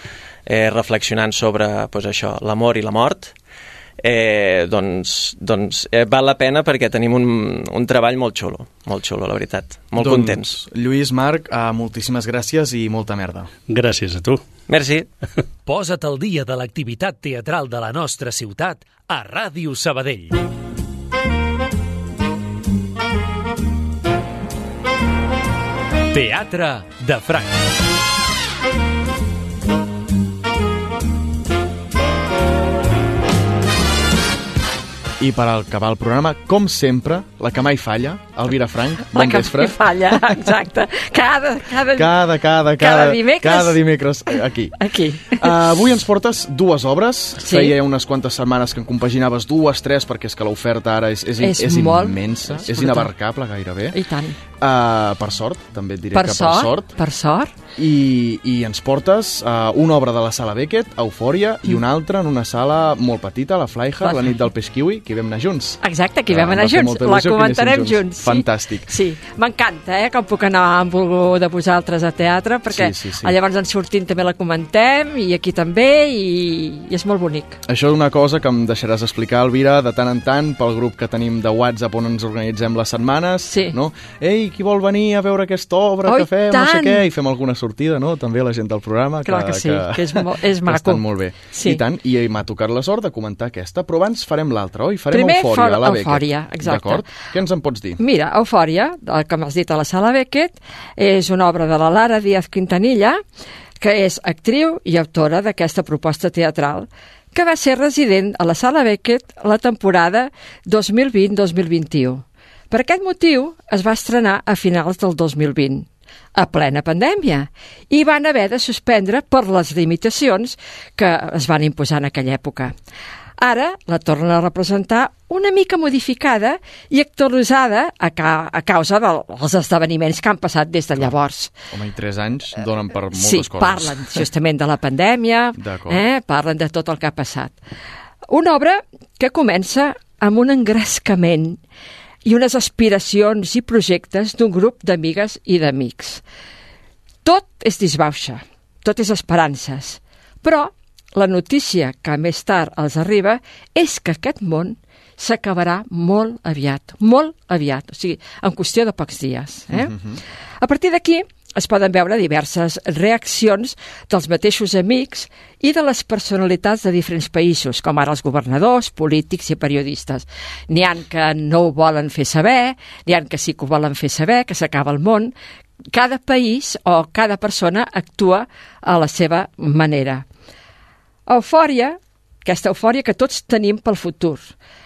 reflexionant sobre això, l'amor i la mort, doncs val la pena perquè tenim un treball molt xulo, la veritat, molt contents. Lluís, Marc, moltíssimes gràcies i molta merda. Gràcies a tu. Merci. Posa't al dia de l'activitat teatral de la nostra ciutat a Ràdio Sabadell. Teatre de Franc. I per acabar el programa, com sempre, la que mai falla, Elvira Frank, bon vespre. La que mai falla, exacte. Cada dimecres. Cada dimecres, aquí. Avui ens portes 2 obres. Sí. Feia unes quantes setmanes que en compaginaves 2, 3, perquè és que l'oferta ara és immensa, és inabarcable gairebé. I tant. Per sort, també et diré que per sort. I ens portes una obra de la Sala Beckett, Eufòria, i una altra en una sala molt petita, la Flyha, la nit del peix kiwi, que hi vam anar junts. Exacte, que hi vam anar junts. La comentarem junts. Fantàstic. Sí, m'encanta, com puc anar amb algú de vosaltres a teatre, perquè llavors en sortint també la comentem, i aquí també, i és molt bonic. Això és una cosa que em deixaràs explicar, Elvira, de tant en tant, pel grup que tenim de WhatsApp on ens organitzem les setmanes, no? Ei, qui vol venir a veure aquesta obra que fem, no sé què, i fem alguna sortida, no? També la gent del programa. Clar que sí, que és maco. Estan molt bé. I tant, i m'ha tocat la sort de comentar aquesta, però abans farem l'altra, oi? Farem Eufòria, a la Beckett. Eufòria, exacte. D'acord? Què ens en pots dir? Mira, Eufòria, que m'has dit a la Sala Beckett, és una obra de la Lara Díaz Quintanilla, que és actriu i autora d'aquesta proposta teatral, que va ser resident a la Sala Beckett la temporada 2020-2021. Per aquest motiu es va estrenar a finals del 2020, a plena pandèmia, i van haver de suspendre per les limitacions que es van imposar en aquella època. Ara la tornen a representar una mica modificada i actualitzada a causa dels esdeveniments que han passat des de llavors. Home, i 3 anys donen per moltes coses. Sí, parlen justament de la pandèmia, parlen de tot el que ha passat. Una obra que comença amb un engrescament i unes aspiracions i projectes d'un grup d'amigues i d'amics. Tot és disbauxa, tot és esperances, però la notícia que més tard els arriba és que aquest món s'acabarà molt aviat, o sigui, en qüestió de pocs dies. A partir d'aquí es poden veure diverses reaccions dels mateixos amics i de les personalitats de diferents països, com ara els governadors, polítics i periodistes. N'hi ha que no ho volen fer saber, n'hi ha que sí que ho volen fer saber, que s'acaba el món. Cada país o cada persona actua a la seva manera. Eufòria, aquesta eufòria que tots tenim pel futur,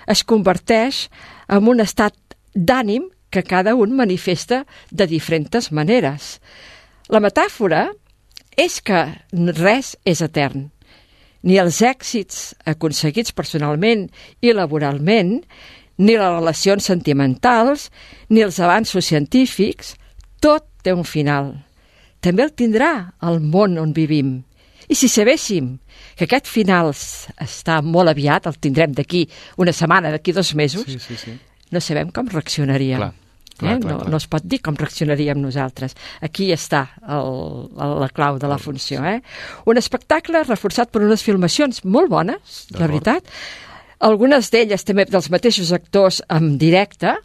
es converteix en un estat d'ànim que cada un manifesta de diferents maneres. La metàfora és que res és etern. Ni els èxits aconseguits personalment i laboralment, ni les relacions sentimentals, ni els avanços científics, tot té un final. També el tindrà el món on vivim. I si sabéssim que aquest final està molt aviat, el tindrem d'aquí una setmana, d'aquí 2 mesos, no sabem com reaccionaríem. Clar. No es pot dir com reaccionaríem nosaltres. Aquí està la clau de la funció. Un espectacle reforçat per unes filmacions molt bones, la veritat. Algunes d'elles també dels mateixos actors en directe,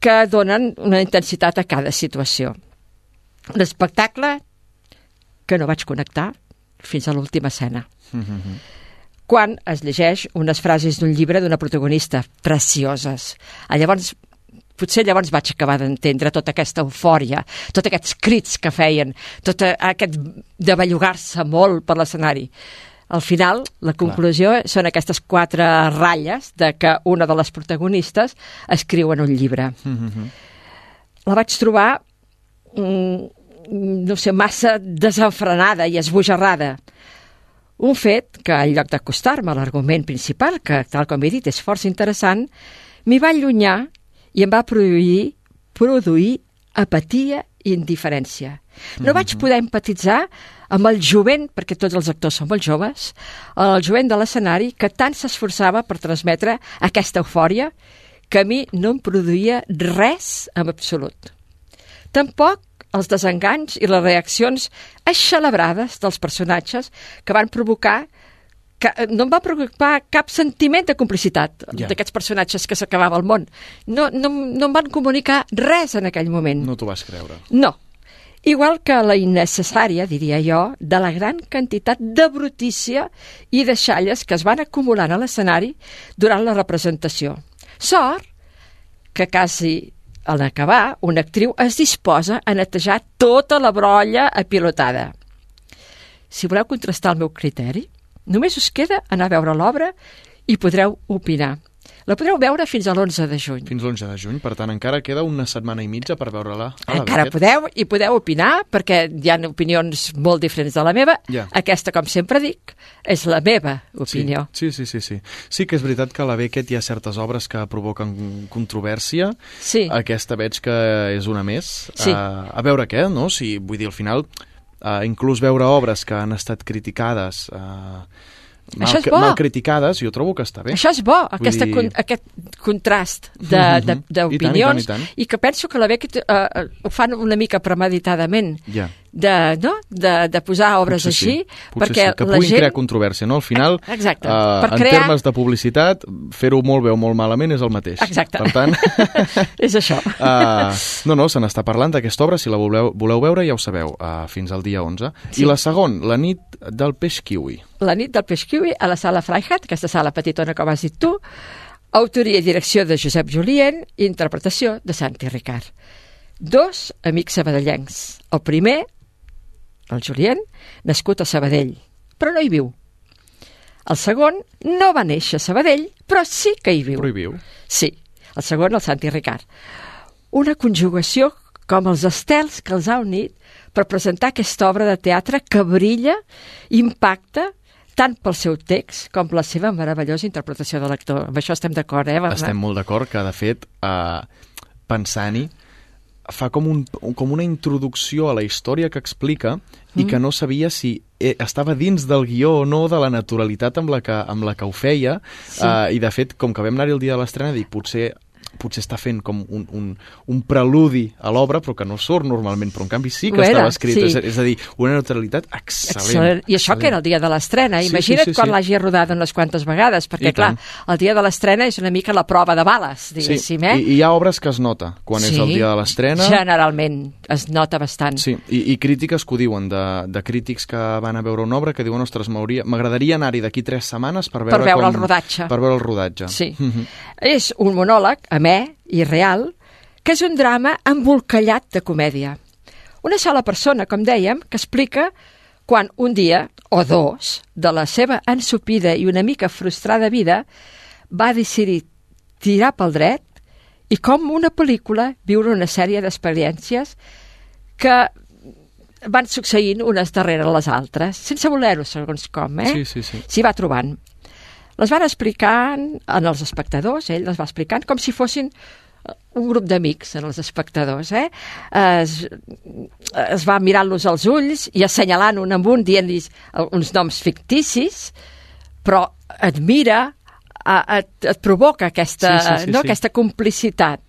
que donen una intensitat a cada situació. Un espectacle que no vaig connectar fins a l'última escena. Quan es llegeix unes frases d'un llibre d'una protagonista precioses. Potser llavors vaig acabar d'entendre tota aquesta eufòria, tots aquests crits que feien, tot aquest de bellugar-se molt per l'escenari. Al final, la conclusió són aquestes 4 ratlles de que una de les protagonistes escriu en un llibre. La vaig trobar no sé, massa desenfrenada i esbojarrada. Un fet que, en lloc d'acostar-me a l'argument principal, que, tal com he dit, és força interessant, m'hi va allunyar i em va produir apatia i indiferència. No vaig poder empatitzar amb el jovent, perquè tots els actors són molt joves, el jovent de l'escenari que tant s'esforçava per transmetre aquesta eufòria que a mi no em produïa res en absolut. Tampoc els desenganys i les reaccions eixelebrades dels personatges que van provocar no em va provocar cap sentiment de complicitat d'aquests personatges que s'acabava el món. No em van comunicar res en aquell moment. No t'ho vas creure. No. Igual que la innecessària, diria jo, de la gran quantitat de brutícia i de xalles que es van acumulant a l'escenari durant la representació. Sort que quasi en acabar, una actriu es disposa a netejar tota la brolla apilotada. Si voleu contrastar el meu criteri, només us queda anar a veure l'obra i podreu opinar. La podreu veure fins a l'11 de juny. Fins l'11 de juny, per tant, encara queda una setmana i mitja per veure-la. Encara podeu opinar, perquè hi ha opinions molt diferents de la meva. Aquesta, com sempre dic, és la meva opinió. Sí. Sí que és veritat que a la Beckett hi ha certes obres que provoquen controvèrsia. Sí. Aquesta veig que és una més. Sí. A veure què, no? Vull dir, al final, inclús veure obres que han estat criticades... mal criticades, jo trobo que està bé. Això és bo, aquest contrast d'opinions, i que penso que la Beckett ho fan una mica premeditadament, de posar obres així, perquè que puguin crear controvèrsia, no? Al final, en termes de publicitat, fer-ho molt bé o molt malament és el mateix. Exacte. Per tant... és això. No, se n'està parlant d'aquesta obra, si la voleu veure ja ho sabeu, fins al dia 11. I la segona, La nit del peix kiwi. La nit del peix kiwi a la sala Freihat, aquesta sala petitona com has dit tu, autoria i direcció de Josep Julien i interpretació de Santi Ricard. 2 amics sabadellencs. El primer, el Julien, nascut a Sabadell, però no hi viu. El segon no va néixer a Sabadell, però sí que hi viu. Però hi viu? Sí, el segon, el Santi Ricard. Una conjugació com els estels que els ha unit per presentar aquesta obra de teatre que brilla, impacta, tant pel seu text com la seva meravellosa interpretació de l'actor. Amb això estem d'acord, Bernat? Estem molt d'acord que, de fet, pensant-hi, fa com una introducció a la història que explica i que no sabia si estava dins del guió o no, de la naturalitat amb la que ho feia. I, de fet, com que vam anar-hi el dia de l'estrena, dic, potser està fent com un preludi a l'obra, però que no surt normalment, però en canvi sí que estava escrit. Sí. És a dir, una neutralitat excel·lent. I això que era el dia de l'estrena. Imagina't quan l'hagi rodat unes quantes vegades, perquè clar, el dia de l'estrena és una mica la prova de bales, diguéssim. I hi ha obres que es nota quan és el dia de l'estrena. Generalment es nota bastant. Sí, i crítiques que ho diuen, de crítics que van a veure una obra que diuen, ostres, m'agradaria anar-hi d'aquí 3 setmanes per veure el rodatge. Per veure el rodatge. Sí. És un monòleg, i real, que és un drama embolcallat de comèdia. Una sola persona, com dèiem, que explica quan un dia, o 2, de la seva ensopida i una mica frustrada vida, va decidir tirar pel dret i, com una pel·lícula, viure una sèrie d'experiències que van succeint unes darrere les altres, sense voler-ho, segons com, Sí. S'hi va trobant. Les van explicant als espectadors, ell les va explicant com si fossin un grup d'amics en els espectadors. Es va mirant-los als ulls i assenyalant un amb un, dient-los uns noms ficticis, però et mira, et provoca aquesta complicitat.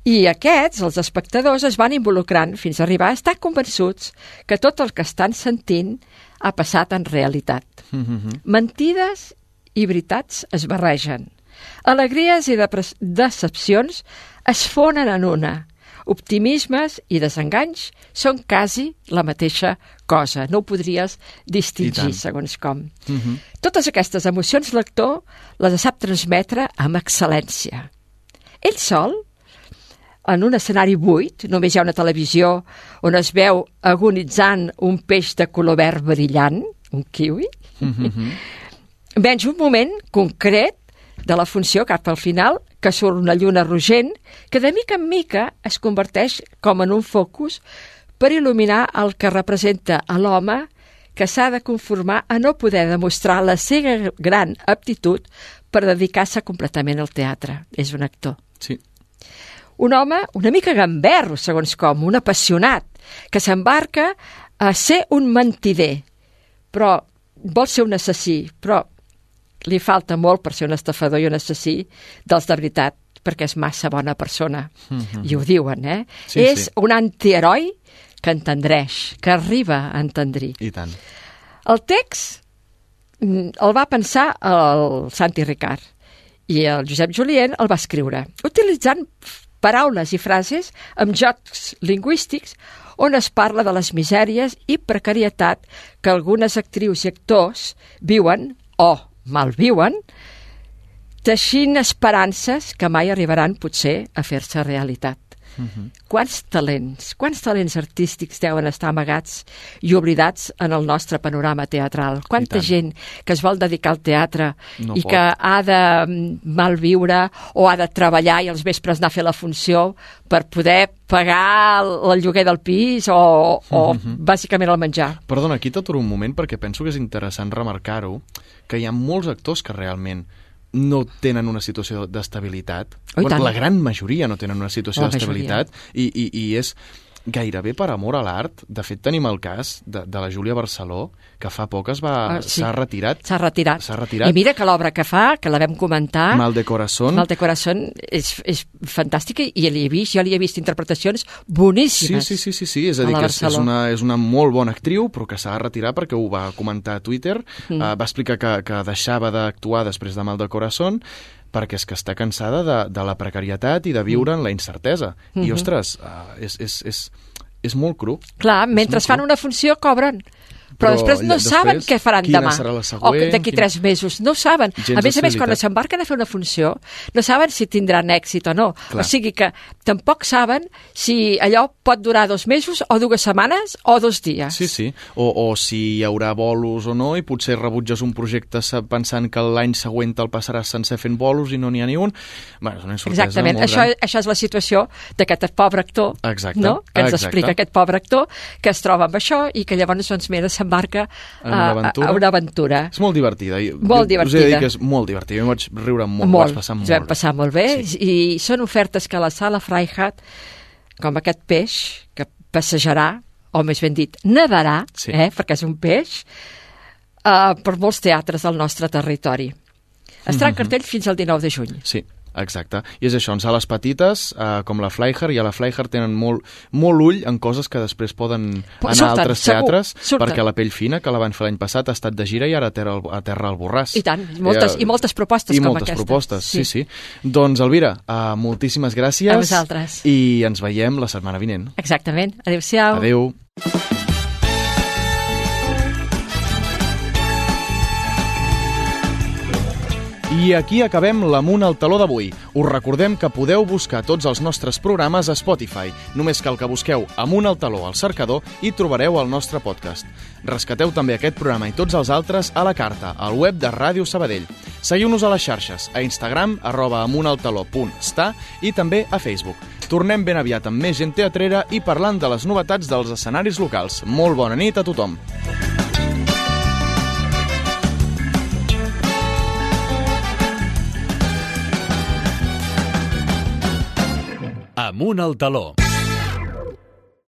I aquests, els espectadors, es van involucrant fins a arribar a estar convençuts que tot el que estan sentint ha passat en realitat. Mentides i veritats es barregen. Alegries i decepcions es fonen en una. Optimismes i desenganys són quasi la mateixa cosa. No ho podries distingir, segons com. Totes aquestes emocions l'actor les sap transmetre amb excel·lència. Ell sol, en un escenari buit, només hi ha una televisió on es veu agonitzant un peix de color verd brillant, un kiwi, menys un moment concret de la funció cap al final, que surt una lluna rogent, que de mica en mica es converteix com en un focus per il·luminar el que representa a l'home que s'ha de conformar a no poder demostrar la seva gran aptitud per dedicar-se completament al teatre. És un actor. Sí. Un home una mica gamberro, segons com, un apassionat, que s'embarca a ser un mentider, però vol ser un assassí, però li falta molt per ser un estafador i un assassí dels de veritat, perquè és massa bona persona. I ho diuen, Sí, és un antiheroi que entendreix, que arriba a entendrir. I tant. El text el va pensar el Santi Ricard i el Josep Julien el va escriure, utilitzant paraules i frases amb jocs lingüístics on es parla de les misèries i precarietat que algunes actrius i actors viuen o malviuen, teixint esperances que mai arribaran potser a fer-se realitat. Quants talents artístics deuen estar amagats i oblidats en el nostre panorama teatral? Quanta gent que es vol dedicar al teatre i que ha de malviure o ha de treballar i als vespres anar a fer la funció per poder pagar el lloguer del pis o bàsicament el menjar. Perdona, aquí t'aturo un moment perquè penso que és interessant remarcar-ho, que hi ha molts actors que realment no tenen una situació d'estabilitat. La gran majoria no tenen una situació d'estabilitat i és gairebé per amor a l'art. De fet, tenim el cas de la Júlia Barceló, que fa poc s'ha retirat. S'ha retirat. I mira que l'obra que fa, que la vam comentar... Mal de Corazón. Mal de Corazón és fantàstica i jo li he vist interpretacions boníssimes. Sí. És a dir, que és una molt bona actriu, però que s'ha de retirar perquè ho va comentar a Twitter. Va explicar que deixava d'actuar després de Mal de Corazón perquè és que està cansada de la precarietat i de viure en la incertesa. I, ostres, és molt cru. Clar, mentre fan una funció cobren. Però després no saben què faran demà o d'aquí 3 mesos, no saben. A més, quan s'embarquen a fer una funció no saben si tindran èxit o no. O sigui que tampoc saben si allò pot durar 2 mesos o 2 setmanes o 2 dies. Sí. O si hi haurà bolos o no, i potser rebutges un projecte pensant que l'any següent te'l passaràs sense fent bolos i no n'hi ha ni un. És una incertesa. Exactament, això és la situació d'aquest pobre actor, que ens explica aquest pobre actor que es troba amb això i que llavors s'embarca a una aventura. És molt divertida. Molt divertida. Us he de dir que és molt divertida. Jo vaig riure molt. Vaig passar molt bé. Vam passar molt bé i són ofertes que la Sala Freihat, com aquest peix que passejarà, o més ben dit, nadarà, perquè és un peix, per molts teatres del nostre territori. Estarà en cartell fins al 19 de juny. Sí. Exacte. I és això, en sales petites, com la Freiherr, i a la Freiherr tenen molt ull en coses que després poden anar a altres teatres, perquè la Pell Fina, que la van fer l'any passat, ha estat de gira i ara aterra al Borràs. I tant, i moltes propostes com aquesta. I moltes propostes, sí. Doncs, Elvira, moltíssimes gràcies. A vosaltres. I ens veiem la setmana vinent. Exactament. Adéu-siau. Adéu. I aquí acabem l'Amunt al Taló d'avui. Us recordem que podeu buscar tots els nostres programes a Spotify. Només cal que busqueu Amunt al Taló al cercador i trobareu el nostre podcast. Rescateu també aquest programa i tots els altres a la carta, al web de Ràdio Sabadell. Seguiu-nos a les xarxes, a Instagram, @amuntaltaló.sta i també a Facebook. Tornem ben aviat amb més gent teatrera i parlant de les novetats dels escenaris locals. Molt bona nit a tothom. Amunt al Taló.